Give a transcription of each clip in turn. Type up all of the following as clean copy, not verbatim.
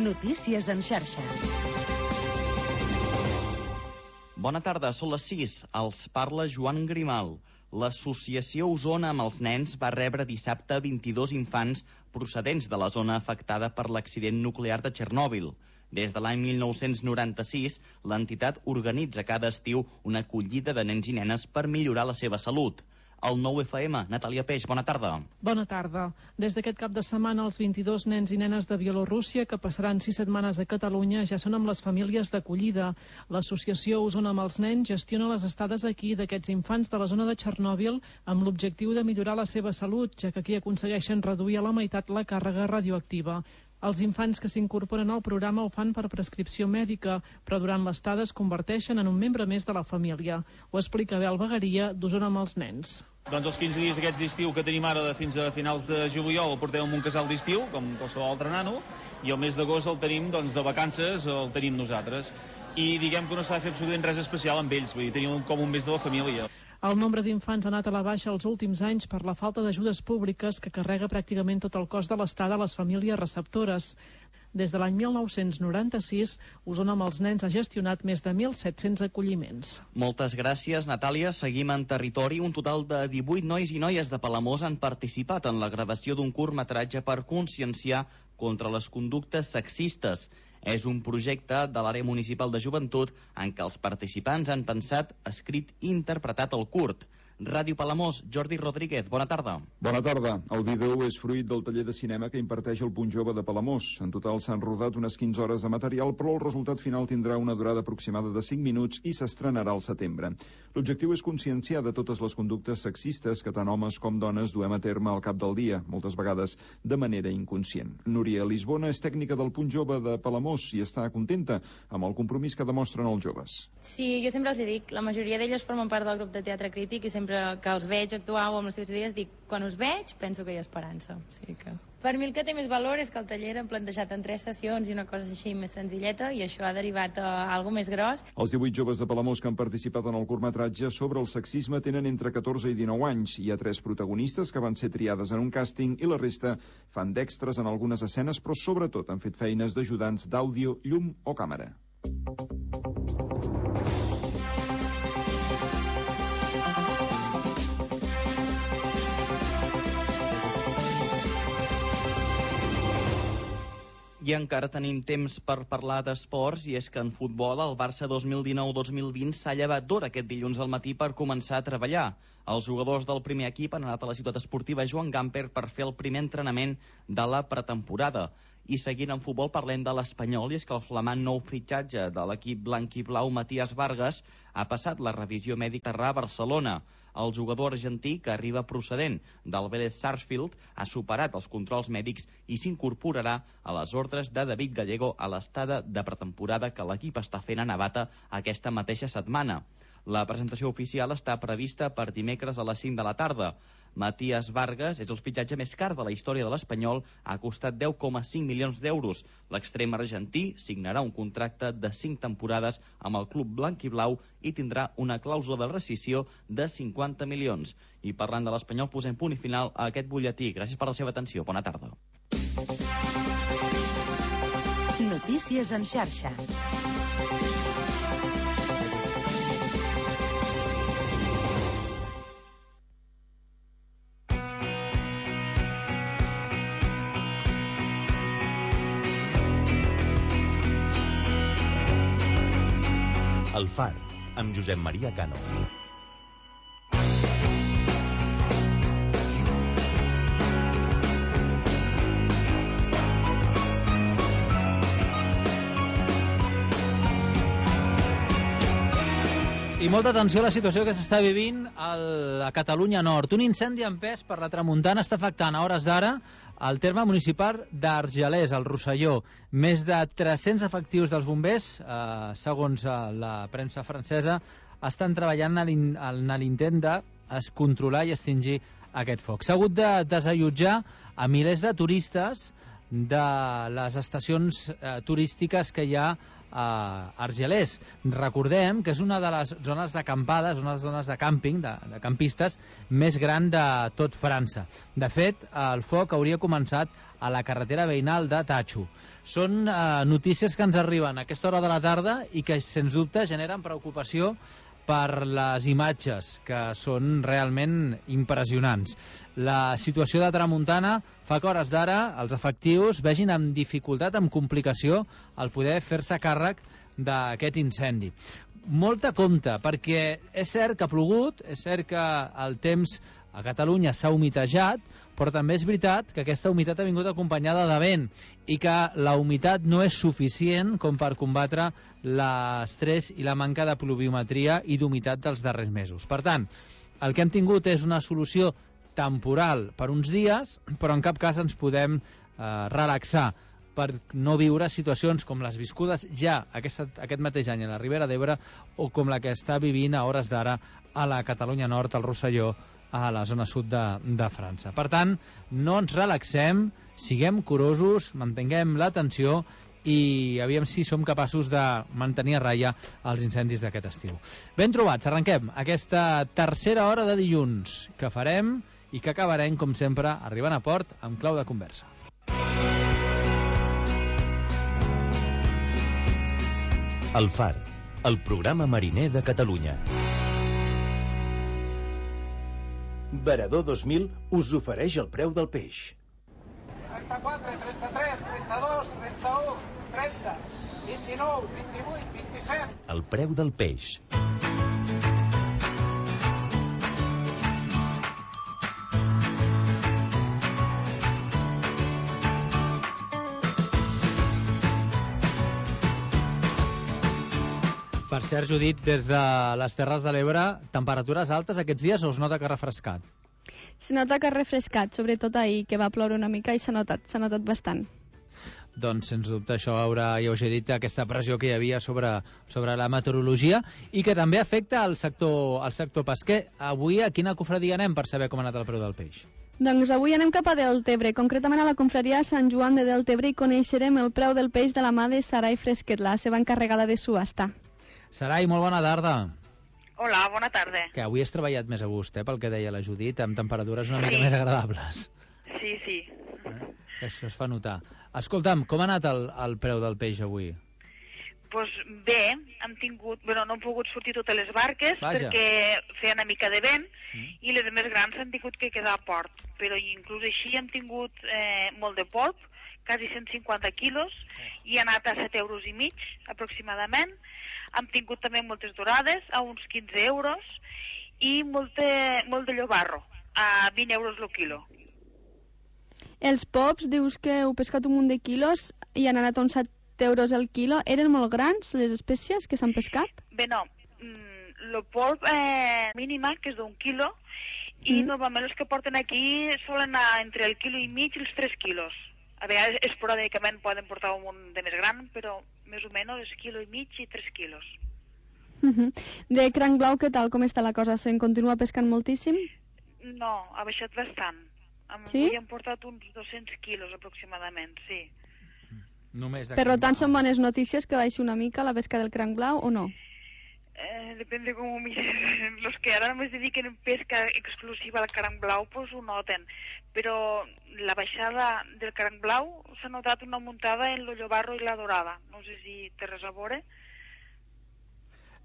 Notícies en xarxa. Bona tarda, són les 6. Els parla Joan Grimal. L'associació Osona amb els nens va rebre dissabte 22 infants procedents de la zona afectada per l'accident nuclear de Txernòbil. Des de l'any 1996, l'entitat organitza cada estiu una acollida de nens i nenes per millorar la seva salut. El 9FM, Natàlia Peix, bona tarda. Bona tarda. Des d'aquest cap de setmana, els 22 nens i nenes de Bielorússia que passaran 6 setmanes a Catalunya ja són amb les famílies d'acollida. L'associació Osona amb els nens gestiona les estades aquí d'aquests infants de la zona de Txernòbil amb l'objectiu de millorar la seva salut, ja que aquí aconsegueixen reduir a la meitat la càrrega radioactiva. Els infants que s'incorporen al programa ho fan per prescripció mèdica, però durant l'estada es converteixen en un membre més de la família. Ho explica Bel Bagaria, d'Osona amb els nens. Doncs els 15 dies aquests d'estiu que tenim ara fins a finals de juliol el portem en un casal d'estiu, com qualsevol altre nano, i el mes d'agost el tenim de vacances, el tenim nosaltres. I diguem que no s'ha de fer absolutament res especial amb ells, vull dir, tenim com un mes de la família. El nombre d'infants ha anat a la baixa els últims anys per la falta d'ajudes públiques que carrega pràcticament tot el cost de l'estada a les famílies receptores. Des de l'any 1996, Osona amb els nens ha gestionat més de 1.700 acolliments. Moltes gràcies, Natàlia. Seguim en territori. Un total de 18 nois i noies de Palamós han participat en la gravació d'un curtmetratge per conscienciar contra les conductes sexistes. És un projecte de l'àrea municipal de joventut en què els participants han pensat, escrit i interpretat el curt. Ràdio Palamós, Jordi Rodríguez, bona tarda. Bona tarda. El vídeo és fruit del taller de cinema que imparteix el Punt Jove de Palamós. En total s'han rodat unes 15 hores de material, però el resultat final tindrà una durada aproximada de 5 minuts i s'estrenarà al setembre. L'objectiu és conscienciar de totes les conductes sexistes que tant homes com dones duem a terme al cap del dia, moltes vegades de manera inconscient. Núria Lisbona és tècnica del Punt Jove de Palamós i està contenta amb el compromís que demostren els joves. Sí, jo sempre els dic, la majoria d'elles formen part del grup de teatre crític i sempre que els veig actuar o amb les seves idees dic, quan us veig penso que hi ha esperança. O sigui que... Per mi el que té més valor és que el taller l'hem plantejat en 3 sessions i una cosa així més senzilleta i això ha derivat a alguna més gros. Els 18 joves de Palamós que han participat en el curtmetratge sobre el sexisme tenen entre 14 i 19 anys. Hi ha 3 protagonistes que van ser triades en un càsting i la resta fan d'extres en algunes escenes, però sobretot han fet feines d'ajudants d'àudio, llum o càmera. I encara tenim temps per parlar d'esports, i és que en futbol el Barça 2019-2020 s'ha llevat d'hora aquest dilluns al matí per començar a treballar. Els jugadors del primer equip han anat a la ciutat esportiva Joan Gamper per fer el primer entrenament de la pretemporada. I seguint en futbol parlem de l'Espanyol, i és que el flamant nou fitxatge de l'equip blanc i blau Matías Vargas ha passat la revisió mèdica a Barcelona. El jugador argentí, que arriba procedent del Vélez Sarsfield, ha superat els controls mèdics i s'incorporarà a les ordres de David Gallego a l'estada de pretemporada que l'equip està fent a Navata aquesta mateixa setmana. La presentació oficial està prevista per dimecres a les 5 de la tarda. Matías Vargas és el fitxatge més car de la història de l'Espanyol, ha costat 10,5 milions d'euros. L'extrem argentí signarà un contracte de 5 temporades amb el club blanc i blau i tindrà una clàusula de rescissió de 50 milions. I parlant de l'Espanyol, posem punt i final a aquest butlletí. Gràcies per la seva atenció. Bona tarda. Notícies en xarxa. El Far, amb Josep Maria Cano. I molta atenció a la situació que s'està vivint a Catalunya Nord. Un incendi empès per la tramuntana està afectant a hores d'ara el terme municipal d'Argelers, al Rosselló. Més de 300 efectius dels bombers, segons la premsa francesa, estan treballant en l'intent de controlar i extingir aquest foc. S'ha hagut de desallotjar a milers de turistes de les estacions turístiques que hi ha a Argelers. Recordem que és una de les zones d'acampades, una de les zones de càmping, de campistes, més gran de tot França. De fet, el foc hauria començat a la carretera veïnal de Tacho. Són notícies que ens arriben a aquesta hora de la tarda i que, sens dubte, generen preocupació per les imatges, que són realment impressionants. La situació de tramuntana fa que, a hores d'ara, els efectius vegin amb dificultat, amb complicació, el poder fer-se càrrec d'aquest incendi. Molta compte, perquè és cert que ha plogut, és cert que el temps a Catalunya s'ha humitejat, però també és veritat que aquesta humitat ha vingut acompanyada de vent i que la humitat no és suficient com per combatre l'estrès i la manca de pluviometria i d'humitat dels darrers mesos. Per tant, el que hem tingut és una solució temporal per uns dies, però en cap cas ens podem relaxar per no viure situacions com les viscudes ja aquest mateix any a la Ribera d'Ebre o com la que està vivint a hores d'ara a la Catalunya Nord, al Rosselló, a la zona sud de França. Per tant, no ens relaxem, siguem curosos, mantinguem l'atenció i aviam si som capaços de mantenir a ratlla els incendis d'aquest estiu. Ben trobats, arrenquem aquesta tercera hora de dilluns que farem i que acabarem, com sempre, arribant a port amb clau de conversa. El Far, el programa mariner de Catalunya. Varador 2000 us ofereix el preu del peix. 34, 33, 32, 31, 30, 29, 28, 27... El preu del peix. Per cert, Judit, des de les Terres de l'Ebre, temperatures altes aquests dies o es nota que ha refrescat? Se nota que ha refrescat, sobretot ahir, que va ploure una mica i s'ha notat bastant. Doncs, sens dubte, això haurà alleugerit aquesta pressió que hi havia sobre la meteorologia i que també afecta el sector pesquer. Avui a quina cofradia anem per saber com ha anat el preu del peix? Doncs avui anem cap a Deltebre, concretament a la confraria Sant Joan de Deltebre, i coneixerem el preu del peix de la mà de Sarai Fresquet, la seva encarregada de subhasta. Sarai, molt bona tarda. Hola, bona tarda. Que avui has treballat més a gust, pel que deia la Judit, amb temperatures una mica més agradables. Sí. Això es fa notar. Escolta'm, com ha anat el preu del peix avui? Pues bé, no han pogut sortir totes les barques perquè feia una mica de vent i les més grans han tingut que quedar a port. Però inclús així hem tingut molt de polp, quasi 150 quilos, i ha anat a 7,5 euros aproximadament. Hem tingut també moltes dorades, a uns 15 euros, i molt de llobarro, a 20 euros el quilo. Els pops, dius que heu pescat un munt de quilos i han anat a uns 7 euros el quilo. Eren molt grans les espècies que s'han pescat? Bé, no. El polp mínima, que és d'un quilo, i normalment els que porten aquí solen anar entre el quilo i mig i els 3 quilos. A vegades esporàdicament poden portar un munt de més gran, però més o menys és quilo i mig i 3 quilos. De cranc blau, què tal? Com està la cosa? Se'n continua pescant moltíssim? No, ha baixat bastant. Sí? Avui hem portat uns 200 quilos aproximadament, sí. Per tant, són bones notícies que baixi una mica la pesca del cranc blau o no? Depende com ho mires. Los que ara només dediquen en pesca exclusiva al cranc blau, pues ho noten. Però la baixada del cranc blau s'ha notat una muntada en el llobarro i la dorada. No sé si té res a veure.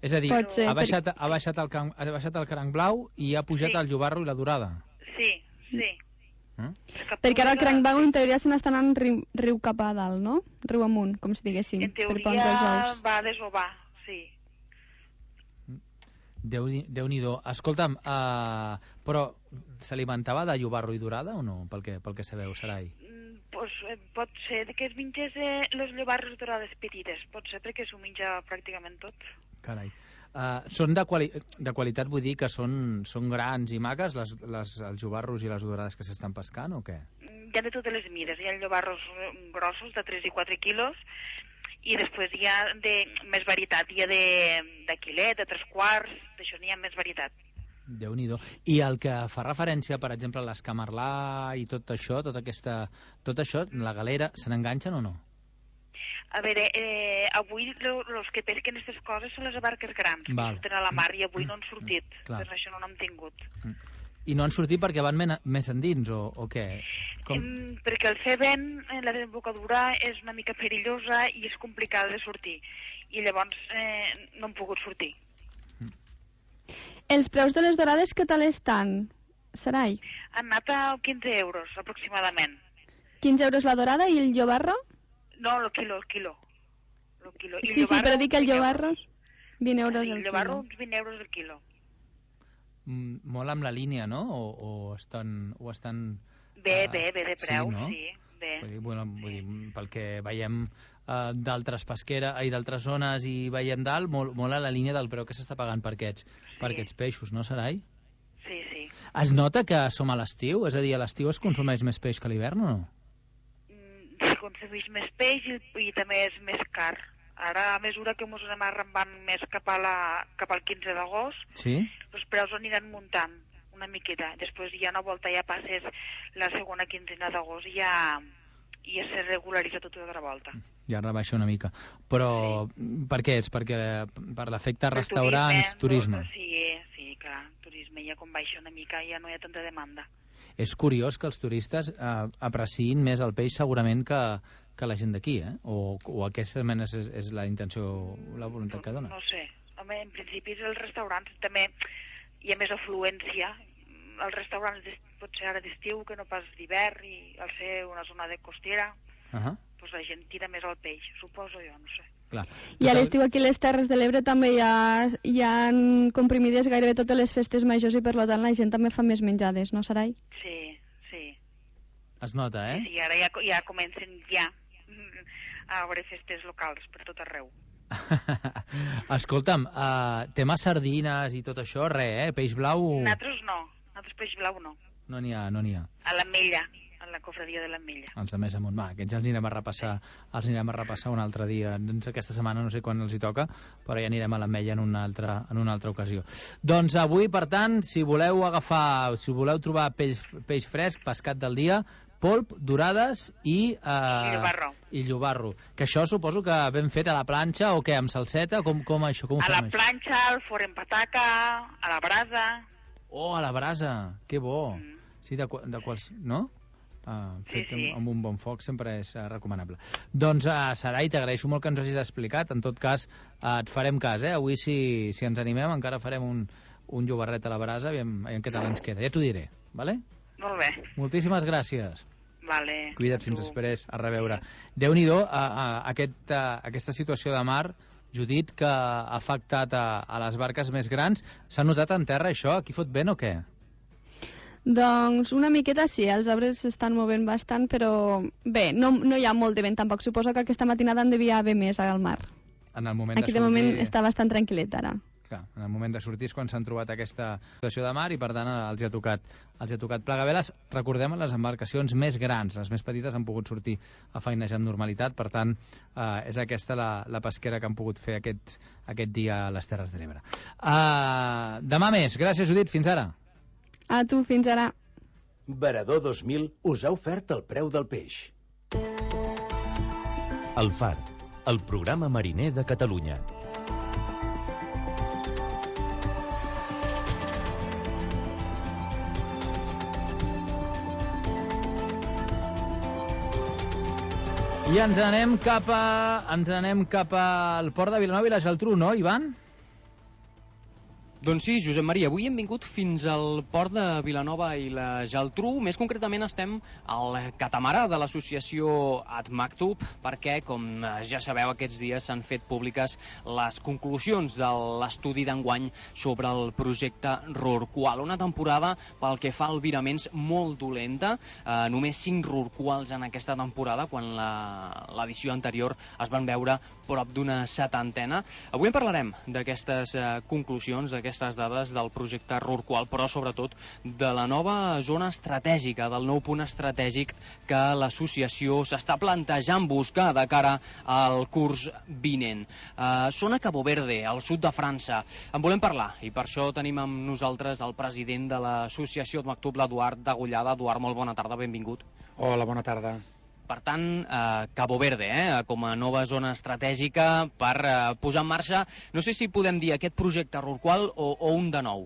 És a dir, ha baixat el cranc blau i ha pujat el llobarro i la dorada. Sí. Perquè ara el cranc blau en teoria se n'està anant riu cap a dalt, no? Riu amunt, com si diguéssim. En teoria va a desovar, sí. Déu-n'hi-do. Escolta'm, però s'alimentava de llobarro i dorada o no, pel que sabeu, Sarai? Pues, pot ser que es mengés les llobarres dorades petites, pot ser perquè s'ho menja pràcticament tot. Carai. Són de qualitat, vull dir que són grans i maques els llobarros i les dorades que s'estan pescant o què? Hi ha de totes les mides, hi ha llobarros grossos de 3 i 4 quilos i després hi ha de més varietat, hi ha de quilet, de 3 quarts, d'això n'hi ha més varietat. Déu-n'hi-do. I el que fa referència, per exemple, a l'escamarlà i tot això, la galera, se n'enganxen o no? A veure, avui els que pesquen aquestes coses són les barques grans, que surten a la mar, i avui no han sortit, per això no n'hem tingut. I no han sortit perquè van més endins, o què? Perquè el fer vent en la desembocadura és una mica perillosa i és complicada de sortir, i llavors no han pogut sortir. Els preus de les dorades què tal estan, Sarai? Han anat a 15 euros, aproximadament. 15 euros la dorada i el llobarro? No, el quilo. Sí, però dic el llobarro, 20 euros el quilo. El llobarro, uns 20 euros el quilo. Molt amb la línia, no? O estan... Bé, de preu, sí. Vull dir, pel que veiem d'altres d'altres zones i veiem dalt, molt a la línia del preu que s'està pagant per aquests peixos, no, Sarai? Sí. Es nota que som a l'estiu? És a dir, a l'estiu es consumeix més peix que a l'hivern o no? Es consumeix més peix i també és més car. Ara, a mesura que ens anem arrambant més cap al 15 d'agost, els preus aniran muntant una miqueta. Després ja una volta ja passes la segona quinzena d'agost i ja se regularitza tot d'altra volta. Ja rebaixa una mica. Però per què és? Perquè per l'efecte restaurants, turisme? Sí, clar, turisme ja com baixa una mica ja no hi ha tanta demanda. És curiós que els turistes apreciïn més el peix segurament que la gent d'aquí, o aquesta és la intenció, la voluntat que dona? No sé, home, en principi els restaurants també hi ha més afluència. Els restaurants potser ara d'estiu que no pas d'hivern, i al ser una zona de costera, doncs la gent tira més al peix, suposo jo, no sé. Clar. I a l'estiu aquí a les Terres de l'Ebre també hi ha comprimides gairebé totes les festes majors i per tant la gent també fa més menjades, no, Sarai? Sí. Es nota, Sí, ara ja comencen a haver festes locals per tot arreu. Escolta'm, tema sardines i tot això, peix blau... Nosaltres peix blau no. No n'hi ha. A l'Ametlla, a la cofradia de l'Ametlla. Els de més amunt, aquests els anirem a repassar un altre dia. Aquesta setmana no sé quan els hi toca, però ja anirem a l'Ametlla en una altra ocasió. Doncs avui, per tant, si voleu trobar peix fresc, pescat del dia, polp, dorades i llobarro. Que això suposo que ben fet a la planxa o què, amb salseta? Com això? A la planxa, al forn en pataca, a la brasa. Oh, a la brasa, que bo. Sí, de quals... no? Fet amb un bon foc sempre és recomanable. Doncs, Sarai, t'agraeixo molt que ens hagis explicat. En tot cas, et farem cas, Avui, si ens animem, encara farem un llobarret a la brasa, aviam què tal ens queda. Ja t'ho diré, vale? Molt bé. Moltíssimes gràcies. Vale. Cuida't fins després, a reveure. Déu-n'hi-do, aquesta situació de mar, Judit, que ha afectat a les barques més grans. S'ha notat en terra això? Aquí fot vent o què? Doncs una miqueta sí, els arbres s'estan movent bastant, però bé, no hi ha molt de vent tampoc. Suposo que aquesta matinada en devia haver més al mar. Aquí de moment està bastant tranquil·let ara. Clar, en el moment de sortir és quan s'han trobat aquesta situació de mar i per tant els hi ha tocat plegar veles. Recordem, les embarcacions més grans, les més petites han pogut sortir a feinejar amb normalitat, per tant és aquesta la pesquera que han pogut fer aquest dia a les Terres de l'Ebre. Demà més. Gràcies, Judit, fins ara. A tu, fins ara. Varador 2000 us ha ofert el preu del peix. El Far, el programa mariner de Catalunya. I ens anem cap al port de Vilanova i la Geltrú, no, Ivan? Doncs sí, Josep Maria, avui hem vingut fins al port de Vilanova i la Geltrú. Més concretament estem al catamarà de l'associació Ad Maktub, perquè, com ja sabeu, aquests dies s'han fet públiques les conclusions de l'estudi d'enguany sobre el projecte Rorqual. Una temporada, pel que fa a albiraments, molt dolenta. Només 5 rorquals en aquesta temporada, quan l'edició anterior es van veure prop d'una 70. Avui en parlarem d'aquestes conclusions, d'aquestes dades del projecte Rorqual, però sobretot de la nova zona estratègica, del nou punt estratègic que l'associació s'està plantejant buscar de cara al curs vinent. Són a Cabo Verde, al sud de França. En volem parlar i per això tenim amb nosaltres el president de l'associació Ad Maktub, l'Eduard Degollada. Eduard, molt bona tarda, benvingut. Hola, bona tarda. Per tant, Cabo Verde, com a nova zona estratègica per posar en marxa, no sé si podem dir aquest projecte Rorqual o un de nou.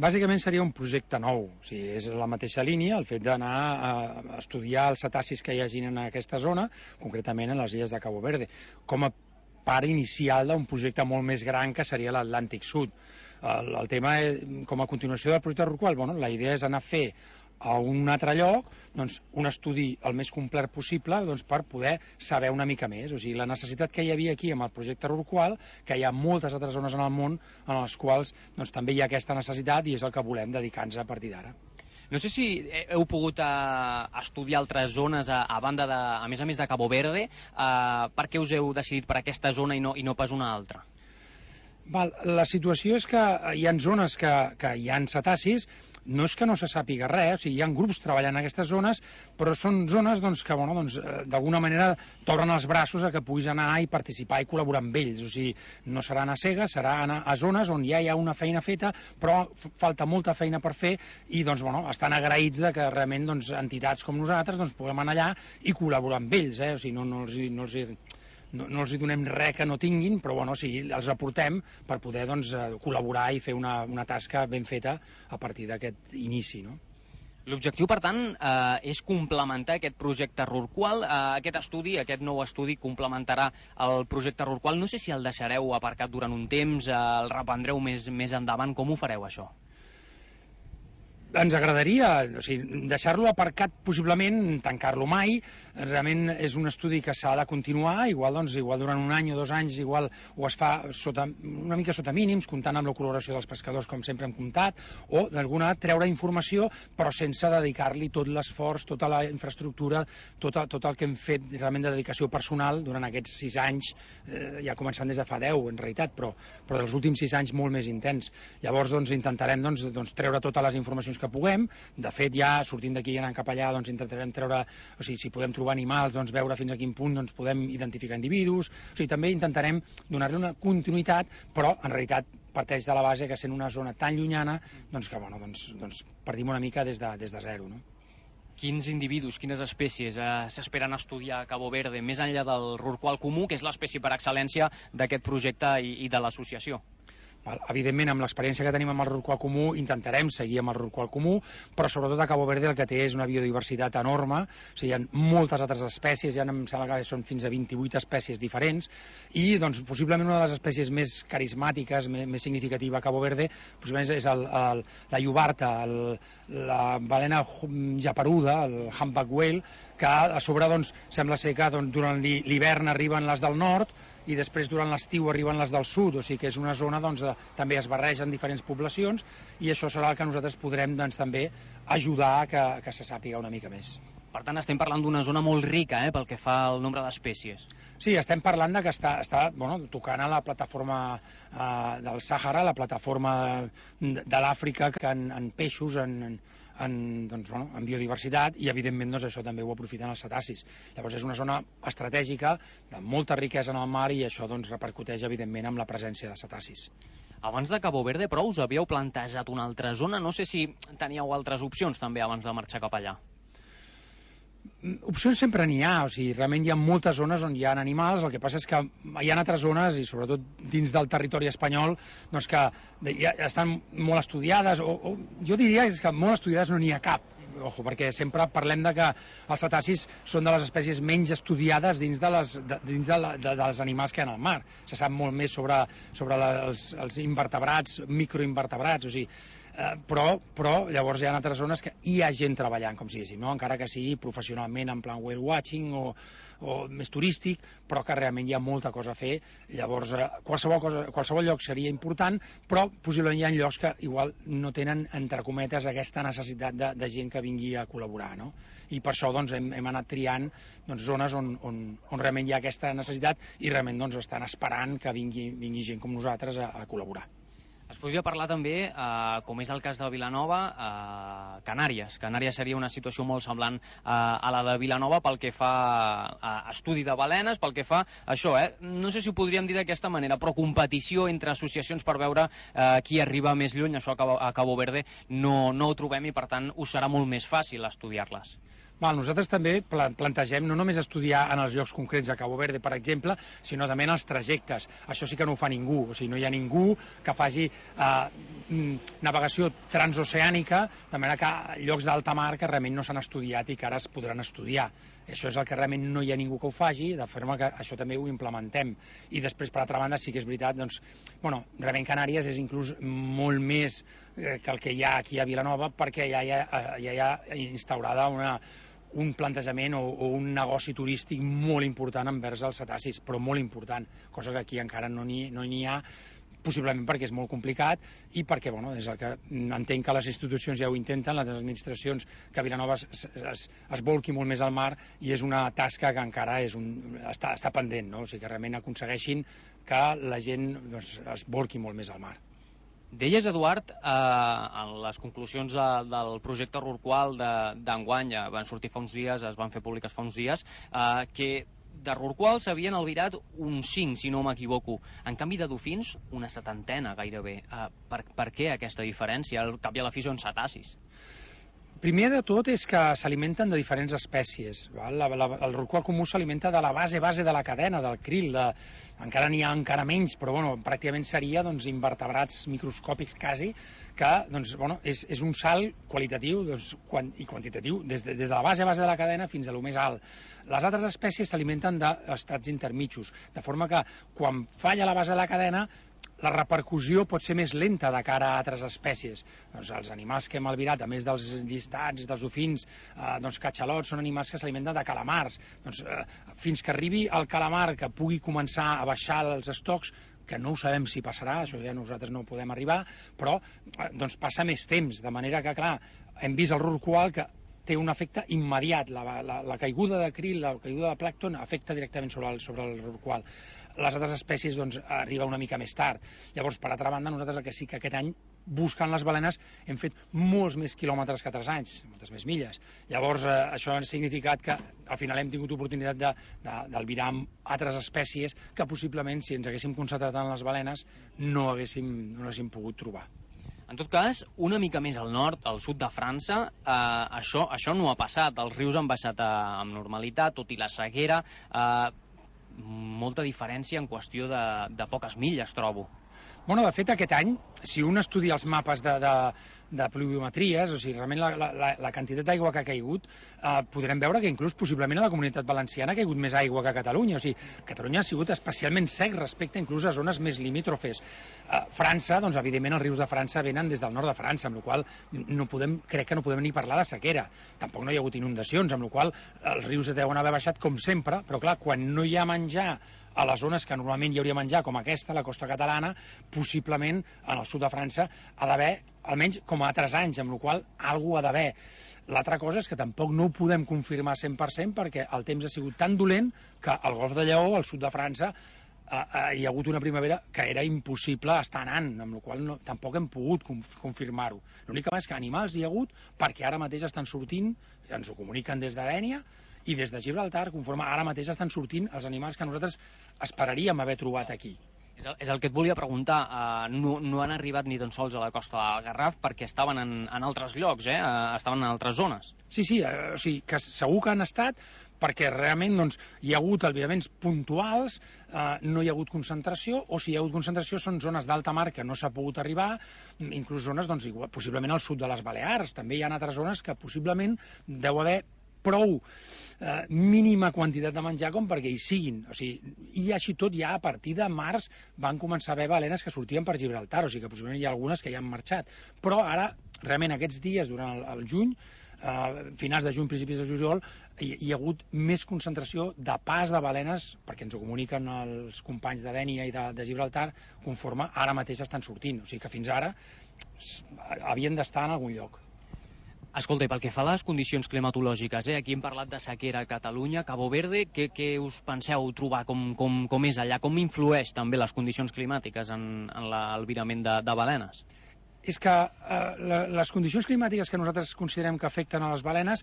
Bàsicament seria un projecte nou, o sigui, és la mateixa línia, el fet d'anar a estudiar els cetacis que hi hagin en aquesta zona, concretament en les illes de Cabo Verde, com a part inicial d'un projecte molt més gran que seria l'Atlàntic Sud. El tema, com a continuació del projecte Rorqual, la idea és anar a fer a un altre lloc un estudi el més complet possible per poder saber una mica més. O sigui, la necessitat que hi havia aquí amb el projecte Rorqual, que hi ha moltes altres zones en el món en les quals també hi ha aquesta necessitat i és el que volem dedicar-nos a partir d'ara. No sé si heu pogut estudiar altres zones a banda a més de Cabo Verde. Per què us heu decidit per aquesta zona i no pas una altra? La situació és que hi ha zones que hi ha cetacis, no és que no se sàpiga res, o sigui, hi ha grups treballant en aquestes zones, però són zones que d'alguna manera t'obren els braços a que puguis anar i participar i col·laborar amb ells. O sigui, no serà anar a cegues, serà anar a zones on ja hi ha una feina feta, però falta molta feina per fer i estan agraïts que realment entitats com nosaltres puguem anar allà i col·laborar amb ells. O sigui, no els donem res que no tinguin, però els aportem per poder col·laborar i fer una tasca ben feta a partir d'aquest inici. L'objectiu, per tant, és complementar aquest projecte Rorqual. Aquest nou estudi complementarà el projecte Rorqual. No sé si el deixareu aparcat durant un temps, el reprendreu més endavant. Com ho fareu, això? Ens agradaria deixar-lo aparcat, possiblement tancar-lo mai. Realment és un estudi que s'ha de continuar, igual durant un any o 2 anys igual ho es fa una mica sota mínims, comptant amb la col·laboració dels pescadors, com sempre hem comptat, o d'alguna treure informació però sense dedicar-li tot l'esforç, tota la infraestructura, tot el que hem fet realment de dedicació personal durant aquests 6 anys, ja començant des de fa 10 en realitat, però dels últims 6 anys molt més intens. Llavors intentarem treure totes les informacions que puguem. De fet, ja sortint d'aquí i anant cap allà intentarem treure, o sigui, si podem trobar animals, veure fins a quin punt podem identificar individus. O sigui, també intentarem donar-li una continuïtat, però en realitat parteix de la base que sent una zona tan llunyana que partim una mica des de zero. Quins individus, quines espècies s'esperen estudiar a Cabo Verde, més enllà del Rorqual comú, que és l'espècie per excel·lència d'aquest projecte i de l'associació? Evidentment, amb l'experiència que tenim amb el Rorqual comú, intentarem seguir amb el Rorqual comú, però sobretot a Cabo Verde el que té és una biodiversitat enorme, o sigui, hi ha moltes altres espècies, em sembla que són fins a 28 espècies diferents, i possiblement una de les espècies més carismàtiques, més significativa a Cabo Verde, possiblement és la llobarta, la balena japeruda, el humpback whale, que a sobre sembla ser que durant l'hivern arriben les del nord i després durant l'estiu arriben les del sud, o sigui que és una zona també es barregen diferents poblacions i això serà el que nosaltres podrem també ajudar a que se sàpiga una mica més. Per tant, estem parlant d'una zona molt rica pel que fa al nombre d'espècies. Sí, estem parlant que està tocant a la plataforma del Sàhara, la plataforma de l'Àfrica, en peixos, en biodiversitat, i evidentment això també ho aprofiten els cetacis. Llavors és una zona estratègica de molta riquesa en el mar i això repercuteix evidentment amb la presència de cetacis. Abans de Cabo Verde, però, us havíeu plantejat una altra zona? No sé si teníeu altres opcions també abans de marxar cap allà. Opcions sempre n'hi ha, o sigui, realment hi ha moltes zones on hi ha animals, el que passa és que hi ha altres zones, i sobretot dins del territori espanyol, que ja estan molt estudiades, o jo diria que molt estudiades no n'hi ha cap, perquè sempre parlem que els cetacis són de les espècies menys estudiades dins dels animals que hi ha al mar. Se sap molt més sobre els invertebrats, microinvertebrats, o sigui, però llavors hi ha altres zones que hi ha gent treballant, com si diguéssim, encara que sigui professionalment en plan whale watching o més turístic, però que realment hi ha molta cosa a fer. Llavors qualsevol lloc seria important, però possiblement hi ha llocs que igual no tenen, entre cometes, aquesta necessitat de gent que vingui a col·laborar, i per això hem anat triant zones on realment hi ha aquesta necessitat i realment estan esperant que vingui gent com nosaltres a col·laborar. Es podria parlar també, com és el cas de Vilanova, Canàries. Canàries seria una situació molt semblant a la de Vilanova pel que fa a estudi de balenes, pel que fa a això, no sé si ho podríem dir d'aquesta manera, però competició entre associacions per veure qui arriba més lluny, això a Cabo Verde no ho trobem i per tant us serà molt més fàcil estudiar-les. Nosaltres també plantegem no només estudiar en els llocs concrets de Cabo Verde, per exemple, sinó també en els trajectes. Això sí que no ho fa ningú, o sigui, no hi ha ningú que faci navegació transoceànica, de manera que llocs d'alta mar que realment no s'han estudiat i que ara es podran estudiar. Això és el que realment no hi ha ningú que ho faci, de forma que això també ho implementem. I després, per altra banda, sí que és veritat, doncs, realment Canàries és inclús molt més que el que hi ha aquí a Vilanova, perquè ja hi ha instaurada un plantejament o un negoci turístic molt important envers els cetacis, però molt important, cosa que aquí encara no n'hi ha, possiblement perquè és molt complicat i perquè, és el que entenc que les institucions ja ho intenten, les administracions, que Vilanova es volqui molt més al mar, i és una tasca que encara està pendent, no? O sigui, que realment aconsegueixin que la gent es volqui molt més al mar. Deies, Eduard, en les conclusions del projecte Rorqual d'enguany, van sortir fa uns dies, es van fer públiques fa uns dies, que de rorquals s'havien albirat uns 5, si no m'equivoco. En canvi de dofins, una 70 gairebé. Per què aquesta diferència? Al cap i a la fi són cetacis. Primer de tot és que s'alimenten de diferents espècies. El rorqual comú s'alimenta de la base de la cadena, del krill. Encara n'hi ha encara menys, però pràcticament seria invertebrats microscòpics quasi, que és un salt qualitatiu i quantitatiu des de la base de la cadena fins a lo més alt. Les altres espècies s'alimenten d'estats intermitjos, de forma que quan falla la base de la cadena la repercussió pot ser més lenta de cara a altres espècies. Els animals que hem albirat, a més dels llistats, dels dofins, catxalots, són animals que s'alimenten de calamars. Fins que arribi el calamar que pugui començar a baixar els estocs, que no ho sabem si passarà, això ja nosaltres no podem arribar, però passa més temps, de manera que, clar, hem vist el rorqual que té un efecte immediat. La caiguda de krill, la caiguda de plàncton afecta directament sobre el rorqual. Les altres espècies arriba una mica més tard. Llavors, per altra banda, nosaltres el que sí que aquest any, buscant les balenes, hem fet molts més quilòmetres que altres anys, moltes més milles. Llavors, això ha significat que al final hem tingut oportunitat d'albirar altres espècies que possiblement, si ens haguéssim concentrat en les balenes, no haguéssim pogut trobar. En tot cas, una mica més al nord, al sud de França, això no ha passat. Els rius han baixat amb normalitat, tot i la sequera. Molta diferència en qüestió de poques milles, trobo. De fet, aquest any, si un estudia els mapes de pluviometries, o sigui, realment la quantitat d'aigua que ha caigut, podrem veure que inclús possiblement a la Comunitat Valenciana ha caigut més aigua que a Catalunya. O sigui, Catalunya ha sigut especialment sec respecte inclús a zones més limítrofes. França, evidentment els rius de França venen des del nord de França, amb la qual crec que no podem ni parlar de sequera. Tampoc no hi ha hagut inundacions, amb la qual els rius deuen haver baixat com sempre, però clar, quan no hi ha menjar a les zones que normalment hi hauria menjar, com aquesta, la costa catalana, possiblement en el sud de França ha d'haver, almenys com a altres anys, amb la qual alguna ha d'haver. L'altra cosa és que tampoc no ho podem confirmar 100% perquè el temps ha sigut tan dolent que al Golf de Lleó, al sud de França, hi ha hagut una primavera que era impossible estar anant, amb la qual tampoc hem pogut confirmar-ho. L'únic és que animals hi ha hagut perquè ara mateix estan sortint, ens ho comuniquen des de Dénia, i des de Gibraltar, conforme ara mateix estan sortint els animals que nosaltres esperaríem haver trobat aquí. És el que et volia preguntar. No han arribat ni tan sols a la costa del Garraf perquè estaven en altres llocs, estaven en altres zones. Sí, o sigui, que segur que han estat perquè realment hi ha hagut albiraments puntuals, no hi ha hagut concentració, o si hi ha hagut concentració són zones d'alta mar que no s'ha pogut arribar, inclús zones, possiblement al sud de les Balears. També hi ha altres zones que possiblement deu haver prou mínima quantitat de menjar com perquè hi siguin. O sigui, i així tot ja a partir de març van començar a haver balenes que sortien per Gibraltar, o sigui que possiblement hi ha algunes que ja han marxat. Però ara, realment aquests dies, durant el juny, finals de juny, principis de juliol, hi ha hagut més concentració de pas de balenes, perquè ens ho comuniquen els companys de Dénia i de Gibraltar, conforme ara mateix estan sortint. O sigui que fins ara havien d'estar en algun lloc. Escolta, i pel que fa a les condicions climatològiques, aquí hem parlat de sequera a Catalunya, Cabo Verde, què us penseu trobar, com és allà, com influeix també les condicions climàtiques en l'albirament de balenes? És que les condicions climàtiques que nosaltres considerem que afecten a les balenes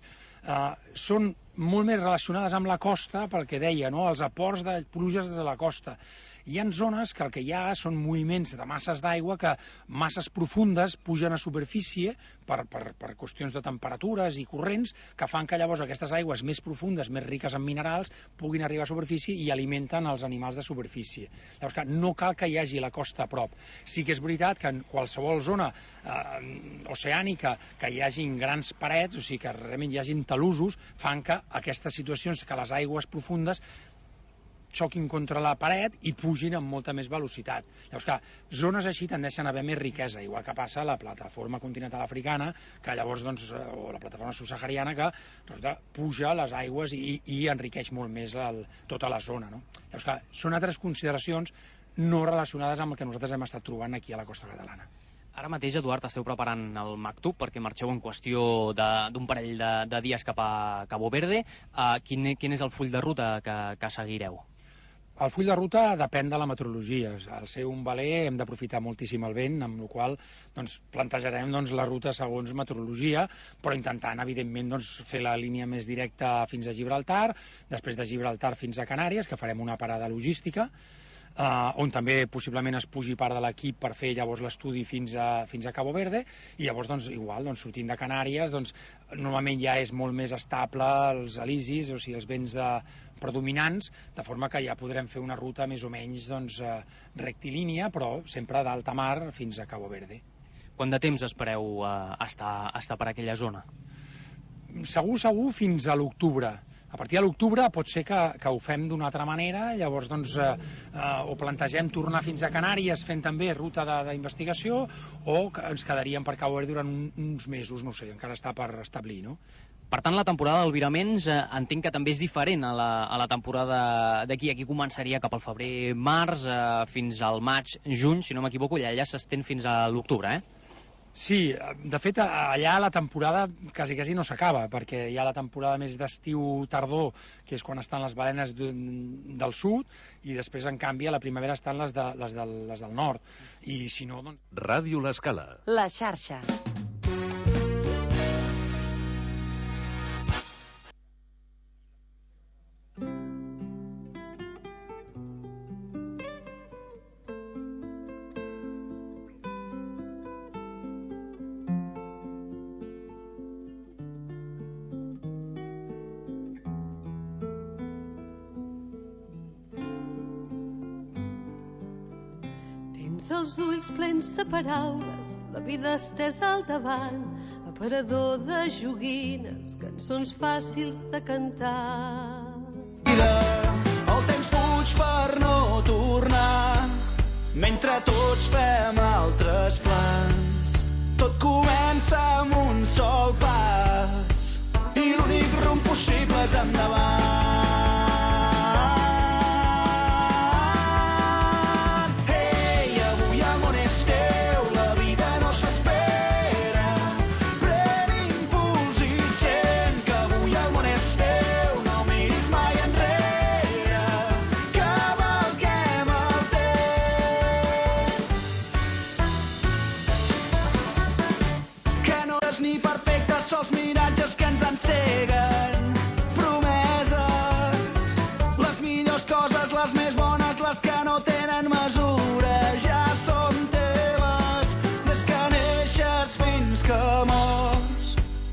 són molt més relacionades amb la costa, pel que deia, no? Els aports de pluges des de la costa. Hi ha zones que el que hi ha són moviments de masses d'aigua que masses profundes pugen a superfície per qüestions de temperatures i corrents que fan que llavors aquestes aigües més profundes, més riques en minerals, puguin arribar a superfície i alimenten els animals de superfície. Llavors, no cal que hi hagi la costa a prop. Sí que és veritat que en qualsevol zona oceànica que hi hagin grans parets, o sigui que realment hi hagin talussos, fan que aquestes situacions, que les aigües profundes xoquin contra la paret i pugin amb molta més velocitat. Llavors, clar, zones així tendeixen a haver més riquesa, igual que passa a la plataforma continental africana, que llavors, doncs, o la plataforma subsahariana, que resulta, puja les aigües i enriqueix molt més tota la zona. No? Llavors, clar, són altres consideracions no relacionades amb el que nosaltres hem estat trobant aquí a la costa catalana. Ara mateix, Eduard, esteu preparant el Maktub perquè marxeu en qüestió d'un parell de dies cap a Cabo Verde. Quin és el full de ruta que seguireu? El full de ruta depèn de la meteorologia. Al ser un veler hem d'aprofitar moltíssim el vent, amb la qual cosa plantejarem la ruta segons meteorologia, però intentant, evidentment, fer la línia més directa fins a Gibraltar, després de Gibraltar fins a Canàries, que farem una parada logística, on també possiblement es pugi part de l'equip per fer llavors l'estudi fins a Cabo Verde, i llavors igual, sortint de Canàries, normalment ja és molt més estable els alisis, o sigui els vents predominants, de forma que ja podrem fer una ruta més o menys rectilínia, però sempre d'alta mar fins a Cabo Verde. Quant de temps espereu estar per aquella zona? Segur fins a l'octubre. A partir de l'octubre pot ser que ho fem d'una altra manera, llavors o plantegem tornar fins a Canàries fent també ruta d'investigació, o ens quedaríem per Cabo Verde durant uns mesos, no sé, encara està per establir, no? Per tant, la temporada d'albiraments entenc que també és diferent a la temporada d'aquí. Aquí començaria cap al febrer-març fins al maig-juny, si no m'equivoco, i allà s'estén fins a l'octubre, Sí, de fet, allà la temporada quasi no s'acaba, perquè hi ha la temporada més d'estiu-tardor, que és quan estan les balenes del sud, i després, en canvi, a la primavera estan les del nord. I si no, doncs... Ràdio L'Escala. La xarxa. Els ulls plens de paraules, la vida estesa al davant, aparador de joguines, cançons fàcils de cantar. El temps fuig per no tornar, mentre tots fem altres plans. Tot comença amb un sol pas, i l'únic rumb possible és endavant.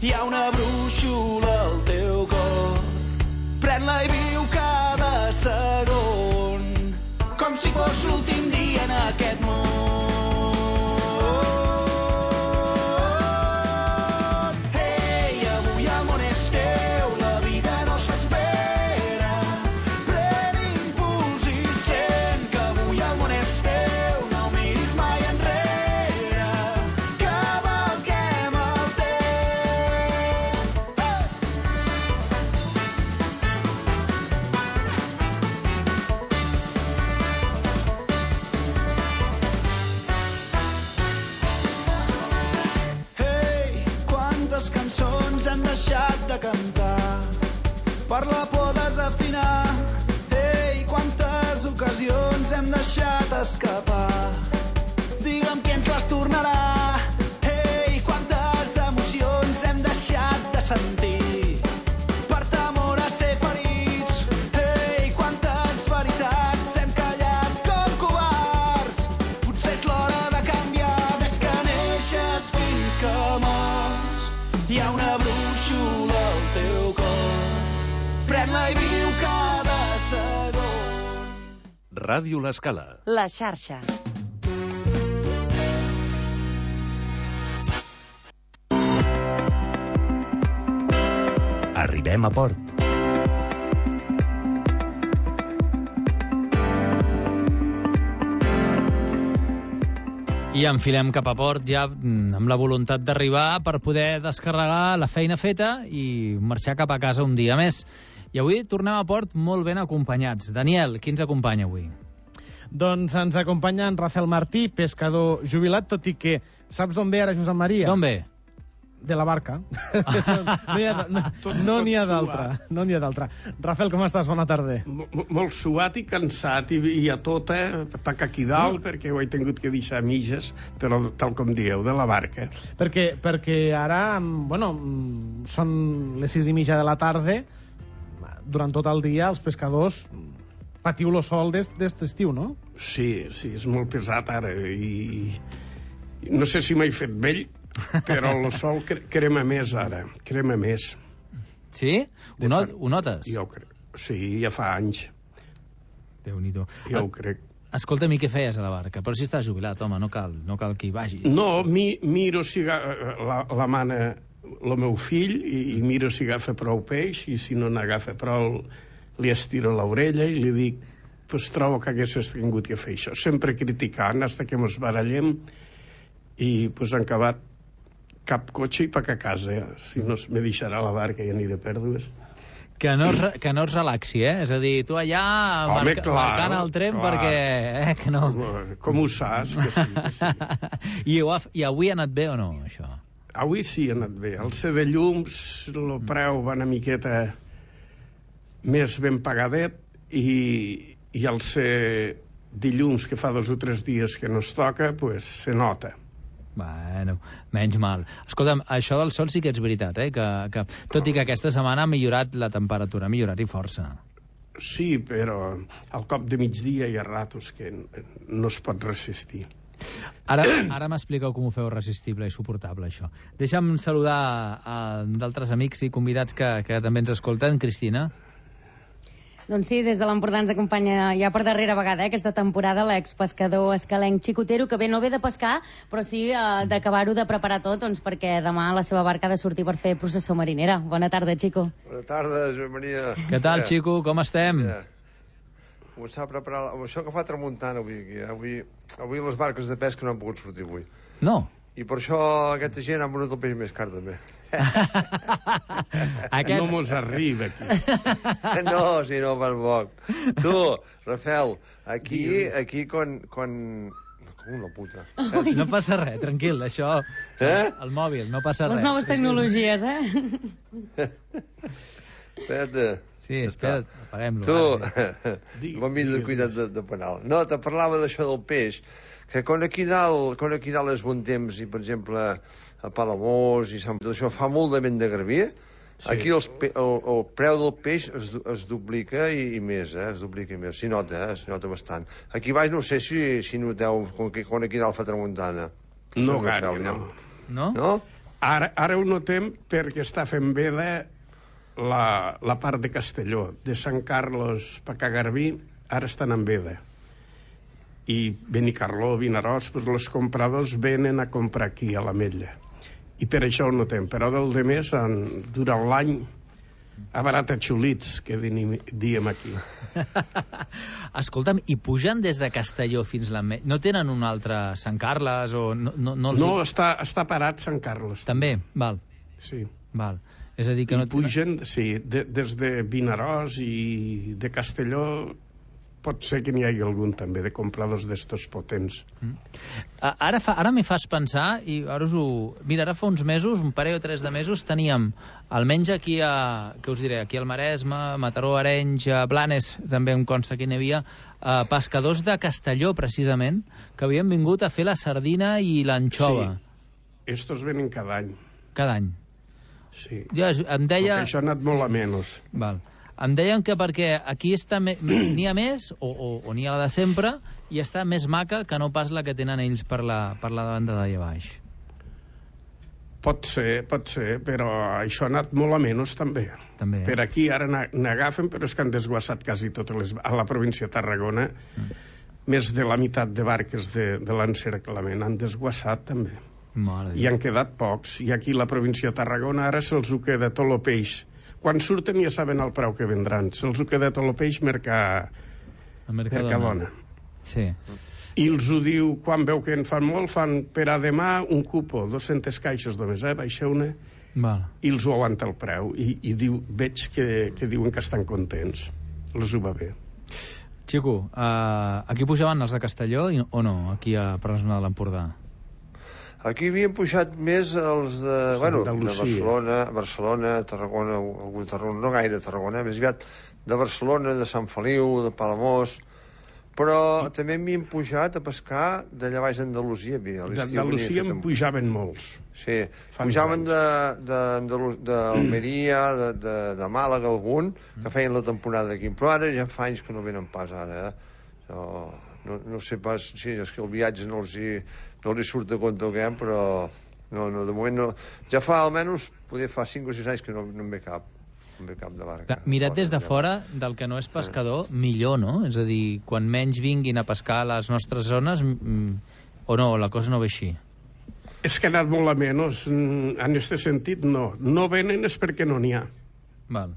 Hi ha una brúixola al teu cor, pren-la i viu cada segon, com si fos l'últim dia en aquest món. Ei, avui el món és teu, la vida no s'espera, pren impuls i sent que avui el món és teu, no miris mai enrere, cavalquem el temps. Cançons hem deixat de cantar per la por desafinar. Ei, quantes ocasions hem deixat escapar. Digue'm qui ens les tornarà. Ei, quantes emocions hem deixat de sentir per temor Hi ha una brúixola al teu cor. Pren-la i viu cada segon. Ràdio L'Escala. La xarxa. Arribem a port. I enfilem cap a port ja amb la voluntat d'arribar per poder descarregar la feina feta i marxar cap a casa un dia més. I avui tornem a port molt ben acompanyats. Daniel, qui ens acompanya avui? Doncs ens acompanya en Rafael Martí, pescador jubilat, tot i que saps d'on ve ara Josep Maria? D'on ve? De la barca. No n'hi ha d'altra. Rafael, com estàs? Bona tarda. Molt suat i cansat, i a tota, tac aquí dalt, perquè ho he tingut que deixar a mitges, però tal com dieu, de la barca. Perquè ara, bueno, són les 6:30 de la tarda, durant tot el dia els pescadors patiu lo sol d'est estiu, no? Sí, és molt pesat ara, i no sé si m'he fet vell, però el sol crema més ara, crema més. Sí? Ho notes? Jo crec. Sí, ja fa anys. Déu-n'hi-do. Jo ho crec. Escolta, mi què feies a la barca? Però si estàs jubilat, home, no cal que hi vagis. No, miro si la mana el meu fill, i miro si agafa prou peix, i si no n'agafa prou li estiro l'orella i li dic, pues trobo que haguessis tingut que fer això. Sempre criticant, hasta que mos barallem, i pues han acabat cap cotxe i pac a casa. Si no me deixarà la barca i aniré pèrdues. Que no es relaxi, eh? És a dir, tu allà marcant el tren perquè... que no... Com ho saps? Que sí. I avui ha anat bé o no, això? Avui sí ha anat bé. El C de llums, el preu va una miqueta més ben pagadet, i el C dilluns, que fa 2 o 3 dies que no es toca, pues se nota. Bueno, menys mal. Escolta'm, això del sol sí que és veritat, que tot i que aquesta setmana ha millorat la temperatura, ha millorat i força. Sí, però al cop de migdia hi ha ratos que no es pot resistir. Ara m'expliqueu com ho feu resistible i suportable, això. Deixa'm saludar d'altres amics i convidats que també ens escolten. Cristina? Doncs sí, des de l'Empordà ens acompanya ja per darrera vegada aquesta temporada l'expescador escalenc Xicotero, que no ve de pescar, però sí d'acabar-ho de preparar tot, doncs, perquè demà la seva barca ha de sortir per fer processó marinera. Bona tarda, Xico. Bona tarda, Joan Maria. Què tal, Xico? Com estem? Començar a preparar... Això que fa tramuntant avui aquí. Avui les barques de pesca no han pogut sortir avui. No? I per això aquesta gent ha venut el peix més car, també. No mos arriba, aquí. No, si no, per poc. Tu, Rafael, aquí quan... Com una puta. No passa res, tranquil, això... El mòbil, no passa res. Les noves tecnologies, eh? Espera't. Sí, espera't, apaguem-lo. Tu, quan vindre cuidat de penal. No, te parlava d'això del peix, que quan aquí dalt és bon temps, i per exemple a Palamós i Sant... tot això fa molt de vent de garbí, sí. Aquí el preu del peix es duplica i més, es duplica i més. S'hi nota bastant. Aquí baix no sé si noteu quan aquí dalt fa tramuntana. No gaire, no. No? Ara ho notem perquè està fent veda la part de Castelló, de Sant Carlos per a Garbí, ara estan en veda. I Benicarló, Vinaròs, doncs els compradors venen a comprar aquí, a l'Ametlla. I per això ho notem. Però del de més, durant l'any, a barata xulits, que diem aquí. Escolta'm, i pugen des de Castelló fins l'Ametlla? No tenen un altre Sant Carles? No, està parat Sant Carles. També? Val. Sí. Val. És a dir que no pugen, sí, des de Vinaròs i de Castelló. Pot ser que n'hi hagi algun també de compradors d'estos potents. Ara me fas pensar, i ara mira, ara fa uns mesos, un parell o 3 de mesos, teníem, almenys aquí què us diré, aquí al Maresme, Mataró, Arenys, Blanes, també em consta que n'hi havia, pescadors de Castelló, precisament, que havien vingut a fer la sardina i l'anxova. Sí, estos venen cada any. Cada any? Sí. Jo em deia... Perquè això ha anat molt a menys. Val. Em deien que perquè aquí n'hi ha més, o n'hi ha la de sempre, i està més maca que no pas la que tenen ells per la banda d'allà baix. Pot ser, però això ha anat molt a menys també. Per aquí ara n'agafen, però és que han desguassat quasi totes a la província de Tarragona, més de la meitat de barques de l'encerclament han desguassat també. I han quedat pocs, i aquí la província de Tarragona ara se'ls ho queda tot el peix. Quan surten ja saben el preu que vendran, se'ls ho queda tot el peix Mercadona. Sí. I els ho diu, quan veu que en fan molt, fan per a demà un cupo, 200 caixes només, baixeu-ne, i els ho aguanta el preu. I diu, veig que diuen que estan contents. Els ho va bé. Xico, aquí pujaven els de Castelló o no, aquí per la zona de l'Empordà? Aquí havien pujat més els de Barcelona, Tarragona, algun Tarragona, no gaire Tarragona, més aviat de Barcelona, de Sant Feliu, de Palamós, però també m'hi pujat a pescar d'allà baix d'Andalusia. D'Andalusia en pujaven molts. Sí, pujaven d'Almeria, de Màlaga algun, que feien la temporada aquí, però ara ja fa anys que no venen pas ara. No sé pas, sí, és que el viatge no li surt de compte el que hem, però de moment no. Ja fa almenys, poder fa 5 o 6 anys que no en ve cap. De barca. Mirat des de fora, del que no és pescador, millor, no? És a dir, quan menys vinguin a pescar a les nostres zones, o no, la cosa no ve així? És que ha anat molt a menys. En aquest sentit, no. No venen és perquè no n'hi ha. Val.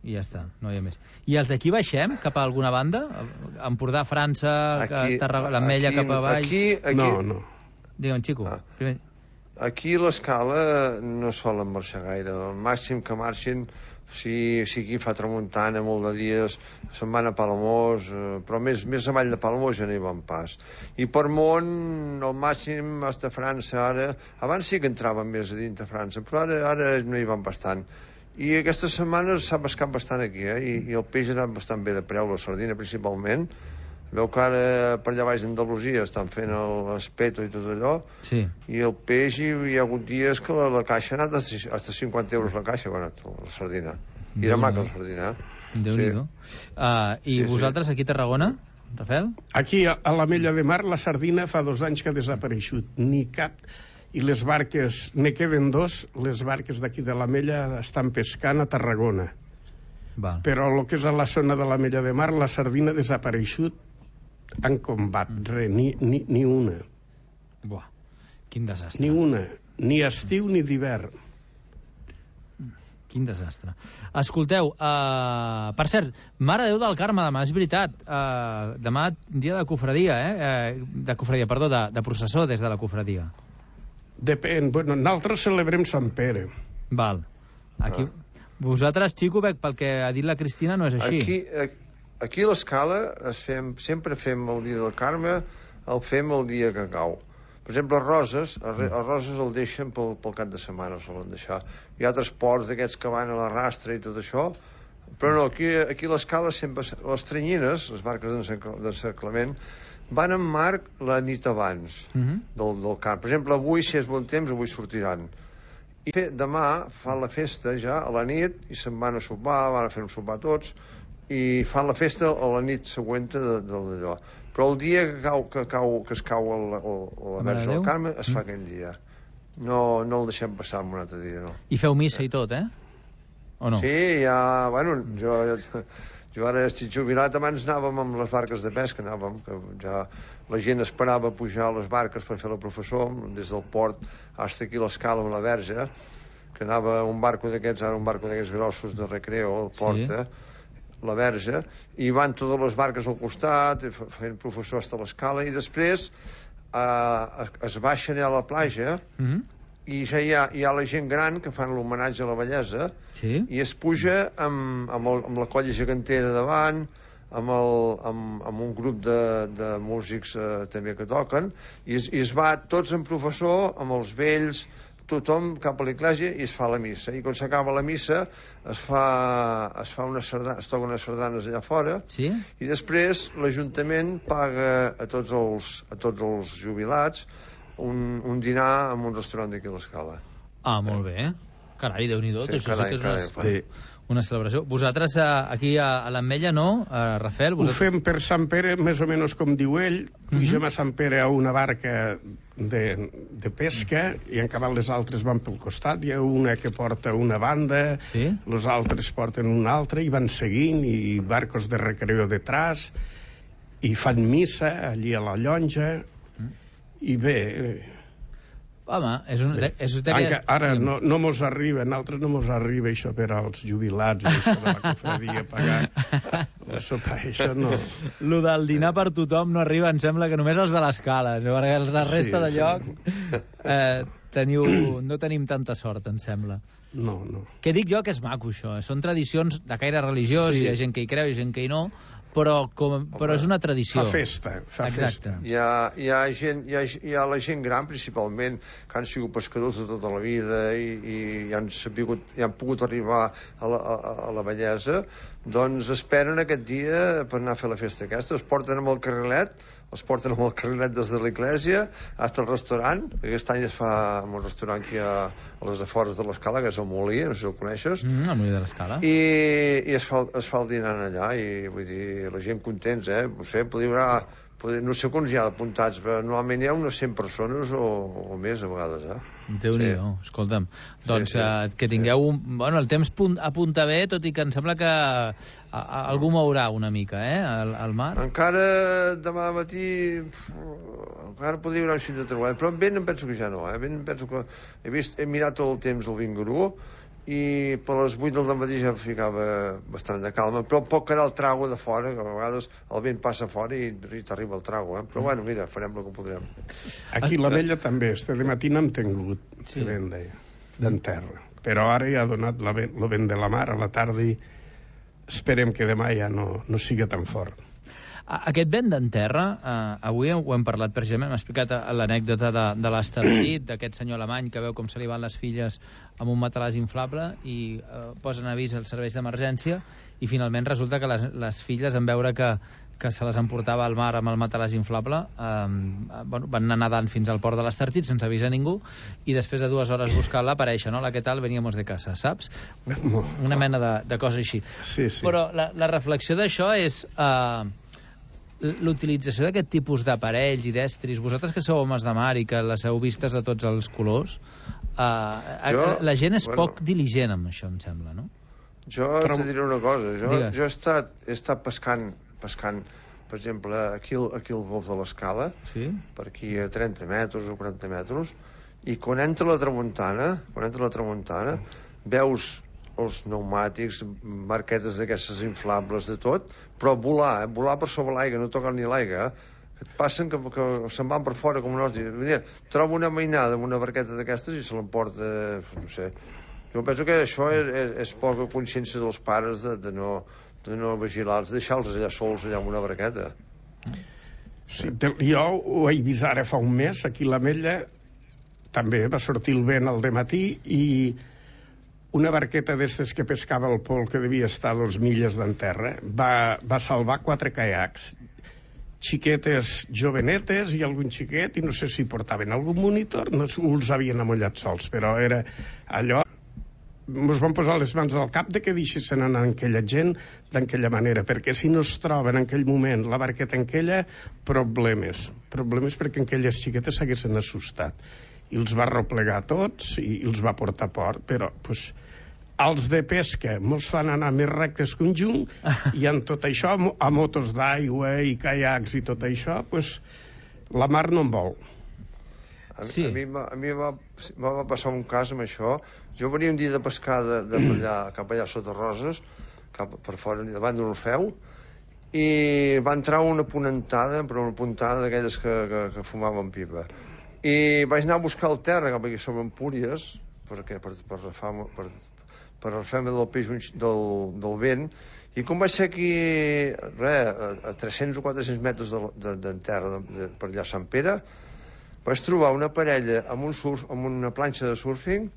I ja està, no hi ha més. I els d'aquí baixem cap a alguna banda? Empordà, França, l'Ametlla cap avall? No. Digue'm, Xico. Aquí l'escala no solen marxar gaire. El màxim que marxin, si aquí fa tramuntana molt de dies, se'n van a Palamós, però més avall de Palamós ja no hi van pas. I per món, el màxim hasta França ara, abans sí que entraven més a dins de França, però ara no hi van bastant. I aquestes setmanes s'ha pescat bastant aquí, i el peix ha anat bastant bé de preu, la sardina principalment. Veu que ara per allà baix d'Andalusia estan fent l'espeto i tot allò, i el peix hi ha hagut dies que la caixa ha anat hasta 50 euros la caixa, la sardina. I era maca la sardina. Déu-n'hi-do. I vosaltres aquí a Tarragona, Rafael? Aquí a l'Ametlla de Mar la sardina fa 2 anys que ha desapareixut, ni cap. I les barques, ne queden 2, les barques d'aquí de l'Ametlla estan pescant a Tarragona. Però el que és a la zona de l'Ametlla de Mar la sardina ha desapareixut en combat, ni una. Buah, quin desastre. Ni una, ni estiu ni d'hivern. Quin desastre. Escolteu, per cert, Mare de Déu del Carme, demà, és veritat, demà dia de cofradia, de processó des de la cofradia. Depèn, nosaltres celebrem Sant Pere. Val. Aquí, vosaltres, Xico, pel que ha dit la Cristina, no és així. Aquí a l'escala sempre fem el dia del Carme, el fem el dia que cau. Per exemple, els roses el deixen pel cap de setmana, el solen deixar. Hi ha altres ports d'aquests que van a la rastra i tot això, però no, aquí a l'escala sempre les tranyines, les barques d'encerclament, van en marc la nit abans del Carme. Per exemple, avui, si és bon temps, avui sortiran. I demà fan la festa ja a la nit i se'n van a sopar, van a fer un sopar tots, i fan la festa a la nit següent d'allò. Però el dia que es cau la Verge del Carme es fa aquell dia. No el deixem passar un altre dia, no. I feu missa i tot, O no? Sí, ja, jo ara estic jubilat, abans anàvem amb les barques de pesca, que ja la gent esperava pujar a les barques per fer la professor, des del port fins aquí a l'escala amb la Verge, que anava un barco d'aquests grossos de recreo al port, la Verge, i van totes les barques al costat fent professor fins a l'escala, i després es baixen a la platja i ja hi ha la gent gran que fan l'homenatge a la bellesa i es puja amb la colla gegantera davant, amb un grup de músics també que toquen, i es va tots en professor amb els vells, tothom cap a l'església, i es fa la missa, i quan s'acaba la missa es toquen unes sardanes allà fora, i després l'Ajuntament paga a tots els jubilats un dinar en un restaurant d'aquí a l'escala. Molt bé. Carai, Déu-n'hi-do, això sí que és una celebració. Vosaltres aquí a l'Ametlla, no, Rafael? Ho fem per Sant Pere, més o menys com diu ell. Pugem a Sant Pere a una barca de pesca i en cabal les altres van pel costat. Hi ha una que porta una banda, els altres porten una altra i van seguint, i barcos de recreo detrás, i fan missa allí a la llonja, i bé... Home, ara no mos arriba, a nosaltres no mos arriba això per als jubilats, això de la cofradia, pagar el sopar, això no. Lo del dinar per tothom no arriba, em sembla que només els de l'Escala, perquè la resta de llocs no tenim tanta sort, em sembla. No. Què dic jo, que és maco, això. Són tradicions de caire religiós, hi ha gent que hi creu, hi ha gent que hi no, però és una tradició. Fa festa. Hi ha la gent gran, principalment, que han sigut pescadors de tota la vida i han pogut arribar a la bellesa, doncs esperen aquest dia per anar a fer la festa aquesta. Els porten amb el carrilet des de l'església fins al restaurant. Aquest any es fa en un restaurant que hi ha a les afores de l'Escala, que és el Molí, no sé si el coneixes. El Molí de l'Escala. I es fa el dinar allà, i vull dir, la gent contents, no sé, no sé quants hi ha apuntats, però normalment hi ha unes 100 persones o més a vegades, Déu-n'hi-do, escolta'm. Doncs que tingueu... Bueno, el temps apunta bé, tot i que em sembla que algú mourà una mica, al mar. Encara demà matí encara podria haver un xic de treballar, però vent em penso que ja no, vent em penso que... He mirat tot el temps del Vingarú, i per les 8 del matí ja ficava bastant de calma, però pot quedar el trago de fora, que a vegades el vent passa fora i t'arriba el trago, però bueno, mira, farem el que podrem. Aquí a l'Ametlla també, este matí n'hem tingut vent d'en terra, però ara ja ha donat el vent de la mar a la tarda i esperem que demà ja no sigui tan fort. Aquest vent d'en terra, avui ho hem parlat precisament, m'ha explicat l'anècdota de l'Estartit, d'aquest senyor alemany que veu com se li van les filles amb un matalàs inflable i posen avís als serveis d'emergència i finalment resulta que les filles, en veure que se les emportava al mar amb el matalàs inflable, van anar nedant fins al port de l'Estartit sense avisar ningú i després de 2 hores buscant-la apareix, no? La que tal, veníamos de casa, saps? Una mena de cosa així. Però la reflexió d'això és... l'utilització d'aquest tipus d'aparells i d'estris, vosaltres que sou homes de mar i que les heu vistes de tots els colors, la gent és poc diligent amb això, em sembla, no? Jo te diré una cosa, jo he estat pescant, per exemple, aquí al golf de l'Escala, per aquí a 30 metres o 40 metres, i quan entra la tramuntana, veus els pneumàtics, barquetes d'aquestes inflables, de tot, però volar per sobre l'aigua, no tocar ni l'aigua, que et passen que se'n van per fora com un os. Trobo una mainada amb una barqueta d'aquestes i se l'emporta, no sé. Jo penso que això és poca consciència dels pares de no vigilar-los, deixar-los allà sols allà amb una barqueta. Jo ho he vist ara fa un mes, aquí a l'Ametlla, també va sortir el vent al dematí i una barqueta d'estes que pescava el pol, que devia estar a 2 milles d'en terra, va salvar 4 caiacs, xiquetes jovenetes i algun xiquet, i no sé si portaven algun monitor, no els havien amollat sols, però era allò... Ens van posar les mans al cap de que deixessin anar aquella gent d'aquella manera, perquè si no es troben en aquell moment la barqueta en aquella, problemes perquè aquelles xiquetes s'haguessin assustat. I els va replegar tots i els va portar a port, però els de pesca mos fan anar més rectes que un junc i en tot això, a motos d'aigua i caiacs i tot això, la mar no en vol. A mi va passar un cas amb això. Jo venia un dia de pescar cap allà sota Roses, cap per fora, davant d'un orfeu, i va entrar una ponentada, però una puntada d'aquelles que fumaven pipa. I vaig anar a buscar el terra cap aquí sobre Empúries, perquè per refer-me del peix del vent, i com vaig ser aquí a 300 o 400 metres d'en terra per allà a Sant Pere, vaig trobar una parella amb una planxa de surfing,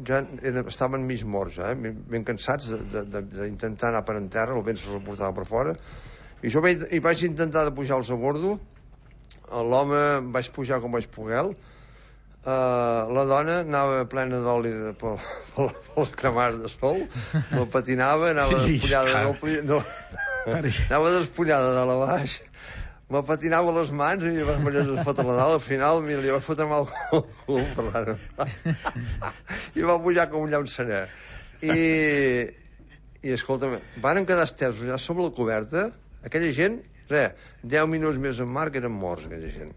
ja estaven mig morts, ben cansats d'intentar anar per en terra, el vent se'ls portava per fora, i jo vaig intentar de pujar-los a bordo. L'home vaig pujar com vaig poder, la dona anava plena d'oli pels cremars de sol, no patinava, anava despullada de la baix, me patinava les mans i vas menjar les fotre la dalt, al final li vas fotre mal el cul, parlant. I va pujar com un llançaner. I escolta'm, van quedar estesos allà sobre la coberta, aquella gent, 10 minuts més en mar que eren morts, aquella gent.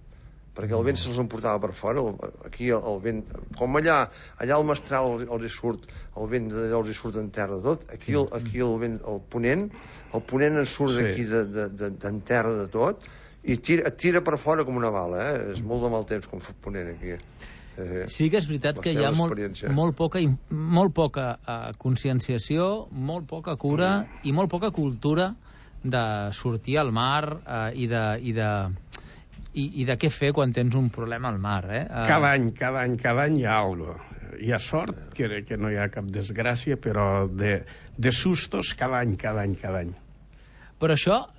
Perquè el vent se'ls emportava per fora, aquí el vent, com allà al Mestral els hi surt, el vent d'allò els hi surt en terra tot, aquí el vent, el ponent en surt d'aquí d'en terra de tot, i et tira per fora com una bala, és molt de mal temps com fa ponent aquí. Sí que és veritat que hi ha molt poca conscienciació, molt poca cura i molt poca cultura de sortir al mar i de què fer quan tens un problema al mar. Cada any hi ha alguna cosa. Hi ha sort, que no hi ha cap desgràcia, però de sustos cada any. Però això,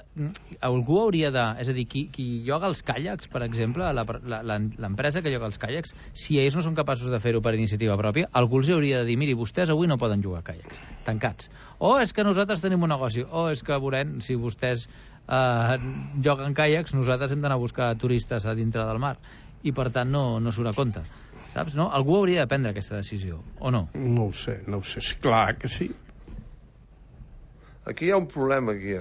algú hauria de... És a dir, qui lloga els caiacs, per exemple, l'empresa que lloga els caiacs, si ells no són capaços de fer-ho per iniciativa pròpia, algú els hauria de dir, miri, vostès avui no poden llogar caiacs, tancats. O és que nosaltres tenim un negoci, o és que veurem, si vostès lloguen caiacs, nosaltres hem d'anar a buscar turistes a dintre del mar. I, per tant, no surt a compte. Saps, no? Algú hauria de prendre aquesta decisió, o no? No ho sé. Clar que sí. Aquí hi ha un problema, Hi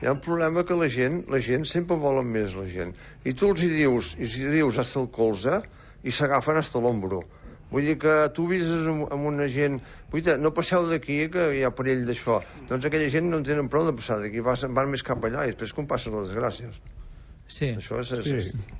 ha un problema que la gent sempre volen més, la gent. I tu els hi dius hasta el colze i s'agafen hasta l'ombro. Vull dir que tu vises amb una gent... no passeu d'aquí, que hi ha perill d'això. Doncs aquella gent no en tenen prou de passar d'aquí, van més cap allà i després com passen les desgràcies. Sí. Això és...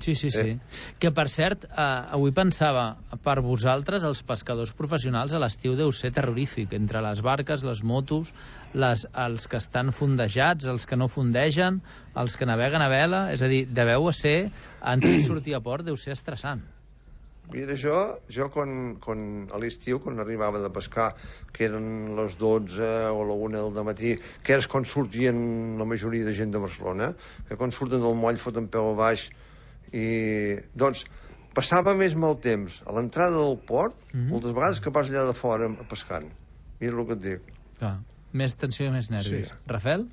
Sí. Que, per cert, avui pensava, per vosaltres, els pescadors professionals a l'estiu deu ser terrorífic, entre les barques, les motos, els que estan fondejats, els que no fondegen, els que naveguen a vela, és a dir, deveu ser, entrar i sortir a port, deu ser estressant. Mira, jo quan a l'estiu, quan arribava de pescar, que eren les 12 o la 1 del matí, que és quan sortien la majoria de gent de Barcelona, que quan surten del moll foten peu a baix, i doncs passava més mal temps a l'entrada del port, moltes vegades, que pas allà de fora pescant. Mira el que et dic. Més tensió i més nervis. Sí. Rafael?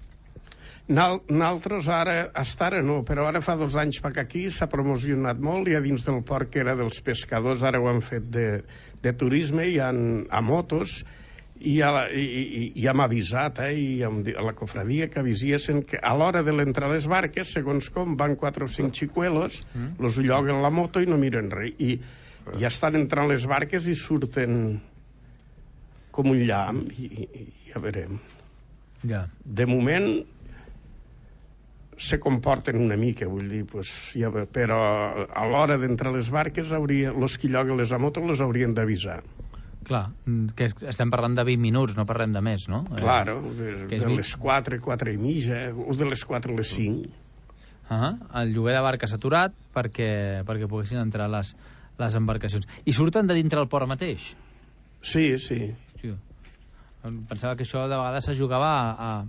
Nosaltres ara no, però ara fa 2 anys que aquí s'ha promocionat molt, i a dins del port que era dels pescadors, ara ho han fet de turisme, i a motos, i hem avisat, i a la cofradia que avisessin que a l'hora de l'entrar a les barques, segons com, van 4 o 5 xicuelos, los lloguen la moto i no miren res, i ja estan entrant les barques i surten com un llamp, i ja veurem. De moment se comporten una mica, vull dir, però a l'hora d'entrar a les barques, els que lloguen les motos els haurien d'avisar. Clar, que estem parlant de 20 minuts, no parlem de més, no? Claro, de les 4, 4 i mitja, o de les 4 a les 5. El lloguer de barques aturat perquè poguessin entrar les embarcacions. I surten de dintre el port mateix? Sí. Hòstia. Pensava que això de vegades se jugava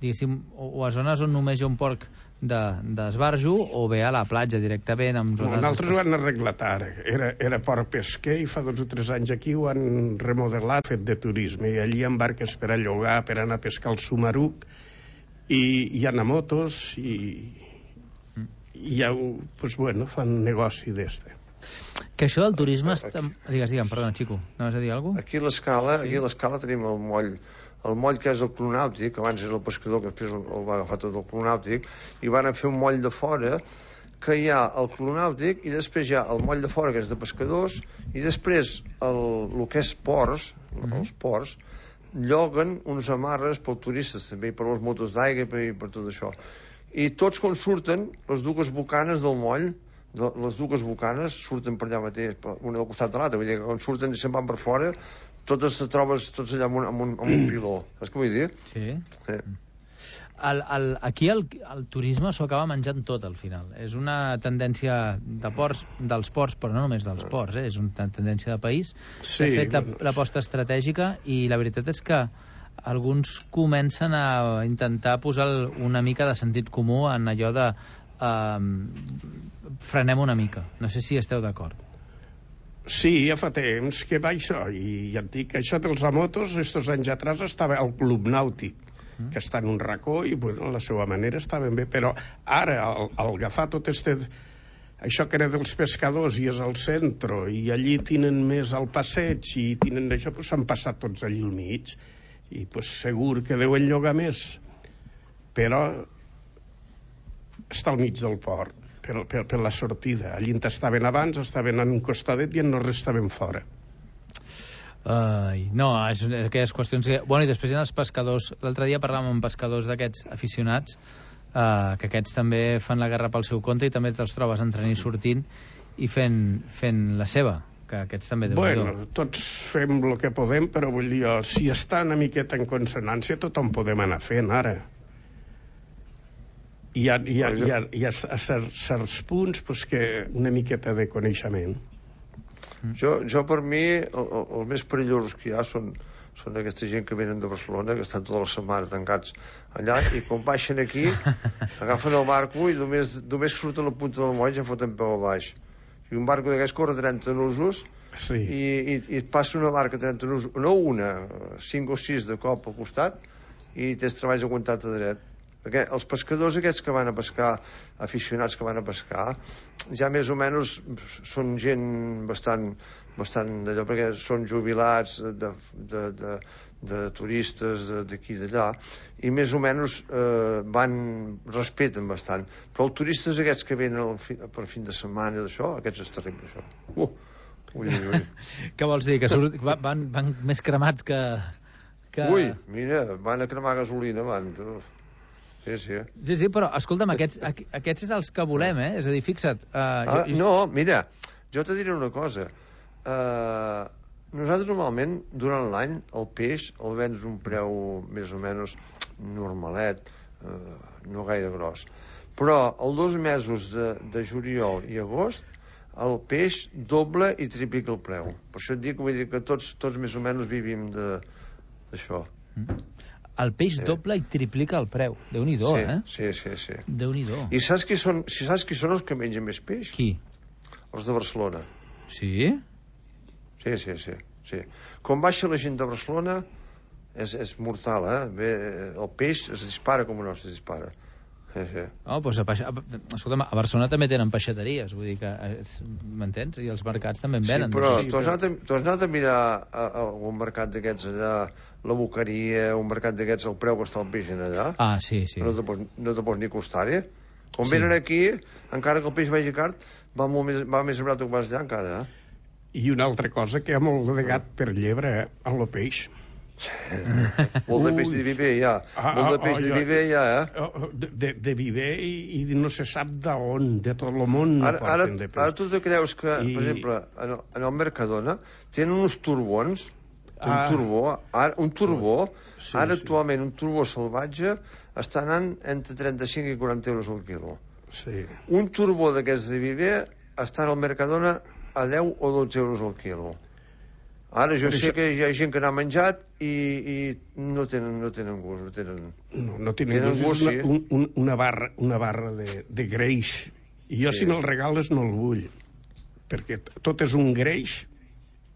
diguéssim, o a zones on només hi ha un port d'esbarjo, o bé a la platja directament, amb zones... Nosaltres ho han arreglat ara. Era port pesquer, i fa 2 o 3 anys aquí ho han remodelat, fet de turisme, i allí hi ha barques per a llogar, per anar a pescar el Sumaruc, i hi ha motos, i ja, fan negoci d'este. Que això del turisme... Digues, perdona, Xico, anaves a dir alguna cosa? Aquí a l'Escala tenim el moll que és el Club Nàutic, abans era el pescador, que després el va agafar tot el Club Nàutic, i van fer un moll de fora, que hi ha el Club Nàutic, i després hi ha el moll de fora, que és de pescadors, i després el que és ports, els ports, lloguen uns amarres pels turistes, també, i per les motos d'aigua, i per tot això. I tots quan surten, les dues bocanes del moll, les dues bocanes surten per allà mateix, una al costat de l'altra, vull dir que quan surten i se'n van per fora, totes te trobes tots allà amb un piló. Saps què vull dir? Sí. Aquí el turisme s'ho acaba menjant tot al final. És una tendència dels ports, però no només dels ports, és una tendència de país. S'ha fet l'aposta estratègica, i la veritat és que alguns comencen a intentar posar una mica de sentit comú en allò de frenem una mica. No sé si esteu d'acord. Sí, ja fa temps que va això, i ja et dic, això dels motos, estos anys atrás estava al Club Nàutic, que està en un racó i, bueno, a la seva manera està ben bé, però ara, al agafar tot això que era dels pescadors i és al centre, i allí tenen més al passeig i tenen això, doncs s'han passat tots allí al mig, i pues, segur que deuen llogar més, però està al mig del port, per la sortida. Allí estaven abans, estaven en un costadet i en no estaven fora. No, és aquelles qüestions que... Bueno, i després hi ha els pescadors. L'altre dia parlàvem amb pescadors d'aquests aficionats, que aquests també fan la guerra pel seu compte i també te'ls trobes entrant i sortint i fent la seva, que aquests també... Bueno, tots fem el que podem, però vull dir, si està una miqueta en consonància, tothom podem anar fent, ara. Hi ha certs punts pues, que una miqueta de coneixement. Jo per mi, els més perillosos que hi ha són aquesta gent que venen de Barcelona, que estan tota la setmana tancats allà, i quan baixen aquí, agafen el barco i només surten la punta del moll ja foten peu a baix. I un barco d'aquests corre 30 nusos, sí. i passa una barca 30 nusos, no una, 5 o 6 de cop al costat, i tens treballs aguantat a dret. Perquè els pescadors aquests que van a pescar, aficionats que van a pescar, ja més o menys són gent bastant d'allò, perquè són jubilats de turistes d'aquí i d'allà, i més o menys respeten bastant. Però els turistes aquests que venen per fin de setmana d'això, aquests és terrible, això. Ui. Què vols dir? Que van més cremats que... Ui, mira, van a cremar gasolina, van... Sí, però, escolta'm, aquests és els que volem, És a dir, fixa't... No, mira, jo te diré una cosa. Nosaltres normalment, durant l'any, el peix el vens un preu més o menys normalet, no gaire gros. Però els 2 mesos de juliol i agost, el peix doble i triplica el preu. Per això et dic, vull dir que tots més o menys vivim d'això. El peix doble i triplica el preu. Déu-n'hi-do, Sí. Déu-n'hi-do. I saps qui són els que mengen més peix? Qui? Els de Barcelona. Sí? Sí. Quan baixa la gent de Barcelona és mortal, el peix es dispara com no es dispara. Sí. Doncs escolta'm, a Barcelona també tenen peixateries, vull dir que, m'entens? I els mercats també en venen. Sí, però tu has anat a mirar algun mercat d'aquests allà, la Boqueria, un mercat d'aquests, el preu que està el peix allà? Sí. No te pots ni costar, Quan venen aquí, encara que el peix vagi car, va més barat que vas allà encara, I una altra cosa, que hi ha molt de gat per llebre, en el peix. Molt de peix de viver hi ha. Molt de peix de viver hi ha, De viver i no se sap d'on, de tot el món no porten de peix. Ara tu te creus que, per exemple, en el Mercadona tenen uns turbons, un turbó, ara actualment un turbó salvatge està anant entre 35 i 40 euros al quilo. Un turbó d'aquests de viver està al Mercadona a 10 o 12 euros al quilo. Ara jo sé que hi ha gent que n'ha menjat i no tenen gust. No tenen gust, és una barra de greix. I jo si me'l regales no el vull, perquè tot és un greix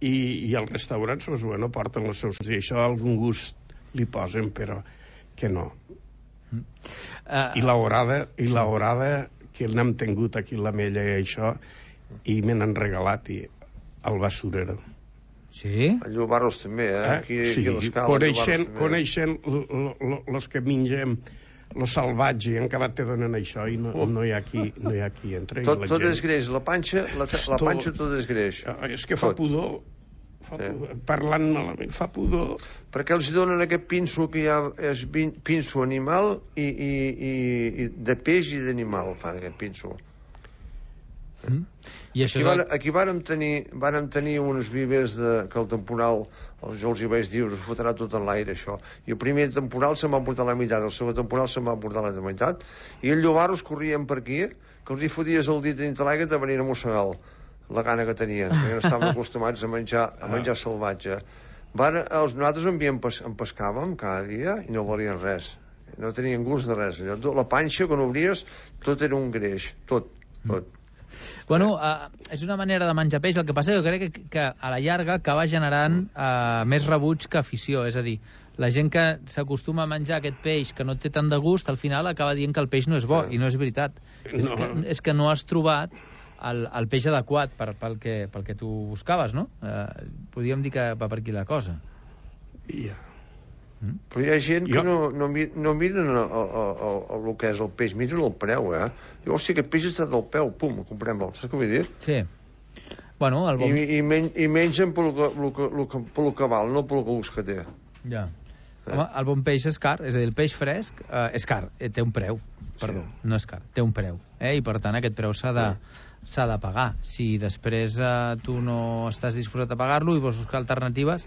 i els restaurants no porten els seus... I això algun gust li posen, però que no. I l'horada que n'hem tingut aquí l'Ametlla i això, i me n'han regalat al basurero. Sí? A Llobarros també, Aquí sí, coneixen els que mengem lo salvatge i encara te donen això i no hi ha qui entra. Tot és greix, la panxa tot és greix. És que fa pudor, parlant malament, fa pudor. Perquè els donen aquest pinso que ja és pinso animal i de peix i d'animal fan aquest pinso. Aquí vàrem tenir uns vivers que el temporal, jo els hi vaig dir, us fotrà tot en l'aire això, i el primer temporal se'n va portar la meitat, el segon temporal se'n va portar la meitat, i els llobarros corrien per aquí, que els hi foties el dit dintre l'aigua i te venien a mossegar la gana que tenien, perquè no estaven acostumats a menjar salvatge. Nosaltres en pescàvem cada dia i no valien res, no tenien gust de res. La panxa, quan obries, tot era un greix, tot. Bueno, és una manera de menjar peix. El que passa és que jo crec que a la llarga acaba generant més rebuig que afició. És a dir, la gent que s'acostuma a menjar aquest peix que no té tant de gust, al final acaba dient que el peix no és bo, i no és veritat. És que no has trobat el peix adequat pel que tu buscaves, no? Podríem dir que va per aquí la cosa. Però hi ha gent que no miren el que és el peix, miren el preu, Diu, hòstia, aquest peix està del peu, pum, comprem-lo, saps què vull dir? Sí. Bueno, I mengen pel que val, no pel gust que té. Ja. Home, el bon peix és car, és a dir, el peix fresc és car, té un preu, perdó, no és car, té un preu, i per tant aquest preu s'ha de pagar. Si després tu no estàs disposat a pagar-lo i vols buscar alternatives,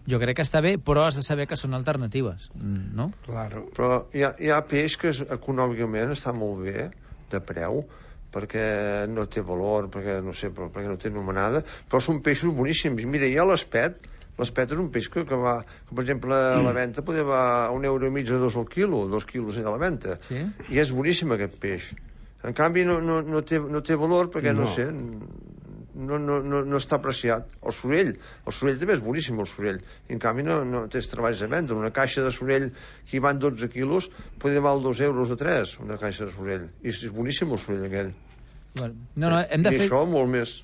jo crec que està bé, però has de saber que són alternatives, no? Claro. Però hi ha peix que econòmicament està molt bé, de preu, perquè no té valor, perquè no té nomenada, però són peixos boníssims. Mira, hi ha l'espet és un peix que va, per exemple, a la venda podria va a €1,5 o 2 al quilo, 2 quilos a la venda. Sí? I és boníssim aquest peix. En canvi no té valor perquè no sé, no està apreciat. El sorell també és boníssim, el sorell, i en canvi no tens treballs a vendre. Una caixa de sorell que hi van 12 quilos podria val €2 o 3, una caixa de sorell, i és boníssim el sorell aquell. No, hem de fer... I això molt més.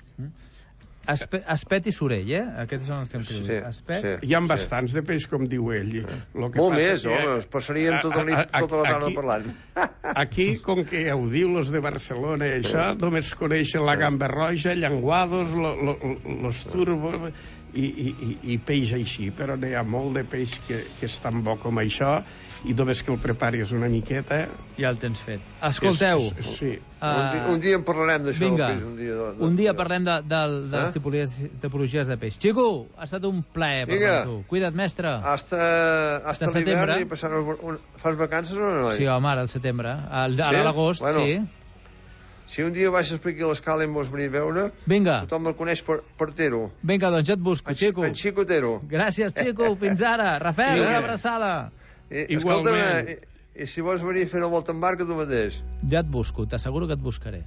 Espet i sorell, Aquests són els que hem dit. Espet... Hi ha bastants de peix, com diu ell. Molt més, es passaríem tota la tarda parlant. Aquí, com que ho diu los de Barcelona i això, només coneixen la gamba roja, llenguados, los turbos i peix així, però n'hi ha molt de peix que és tan bo com això, i només que el preparis una miqueta... Ja el tens fet. Escolteu... Sí. Un dia en parlarem d'això. Vinga, un dia parlem de les tipologies de peix. Xico, ha estat un plaer parlar amb tu. Cuida't, mestre. Hasta l'hivern i passar... Fas vacances o no? Sí, home, ara al setembre. Ara a l'agost, sí. Si un dia baixes per aquí a l'escala i em vols venir a veure, tothom el coneix per Tero. Vinga, doncs jo et busco, Xico. En Xico Tero. Gràcies, Xico. Fins ara. Rafael, una abraçada. Escolta'm, i si vols venir a fer una volta en barca tu mateix? Ja et busco, t'asseguro que et buscaré.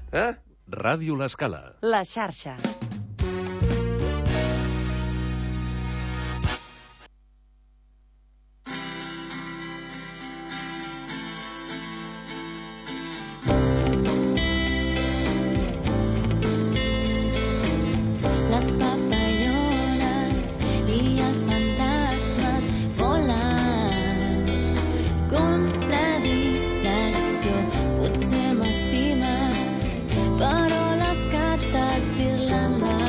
Ràdio L'Escala. La xarxa. Però les cartes d'Irlanda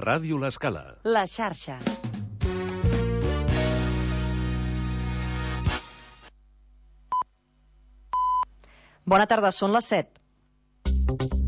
Ràdio L'Escala. La xarxa. Bona tarda, són les 7.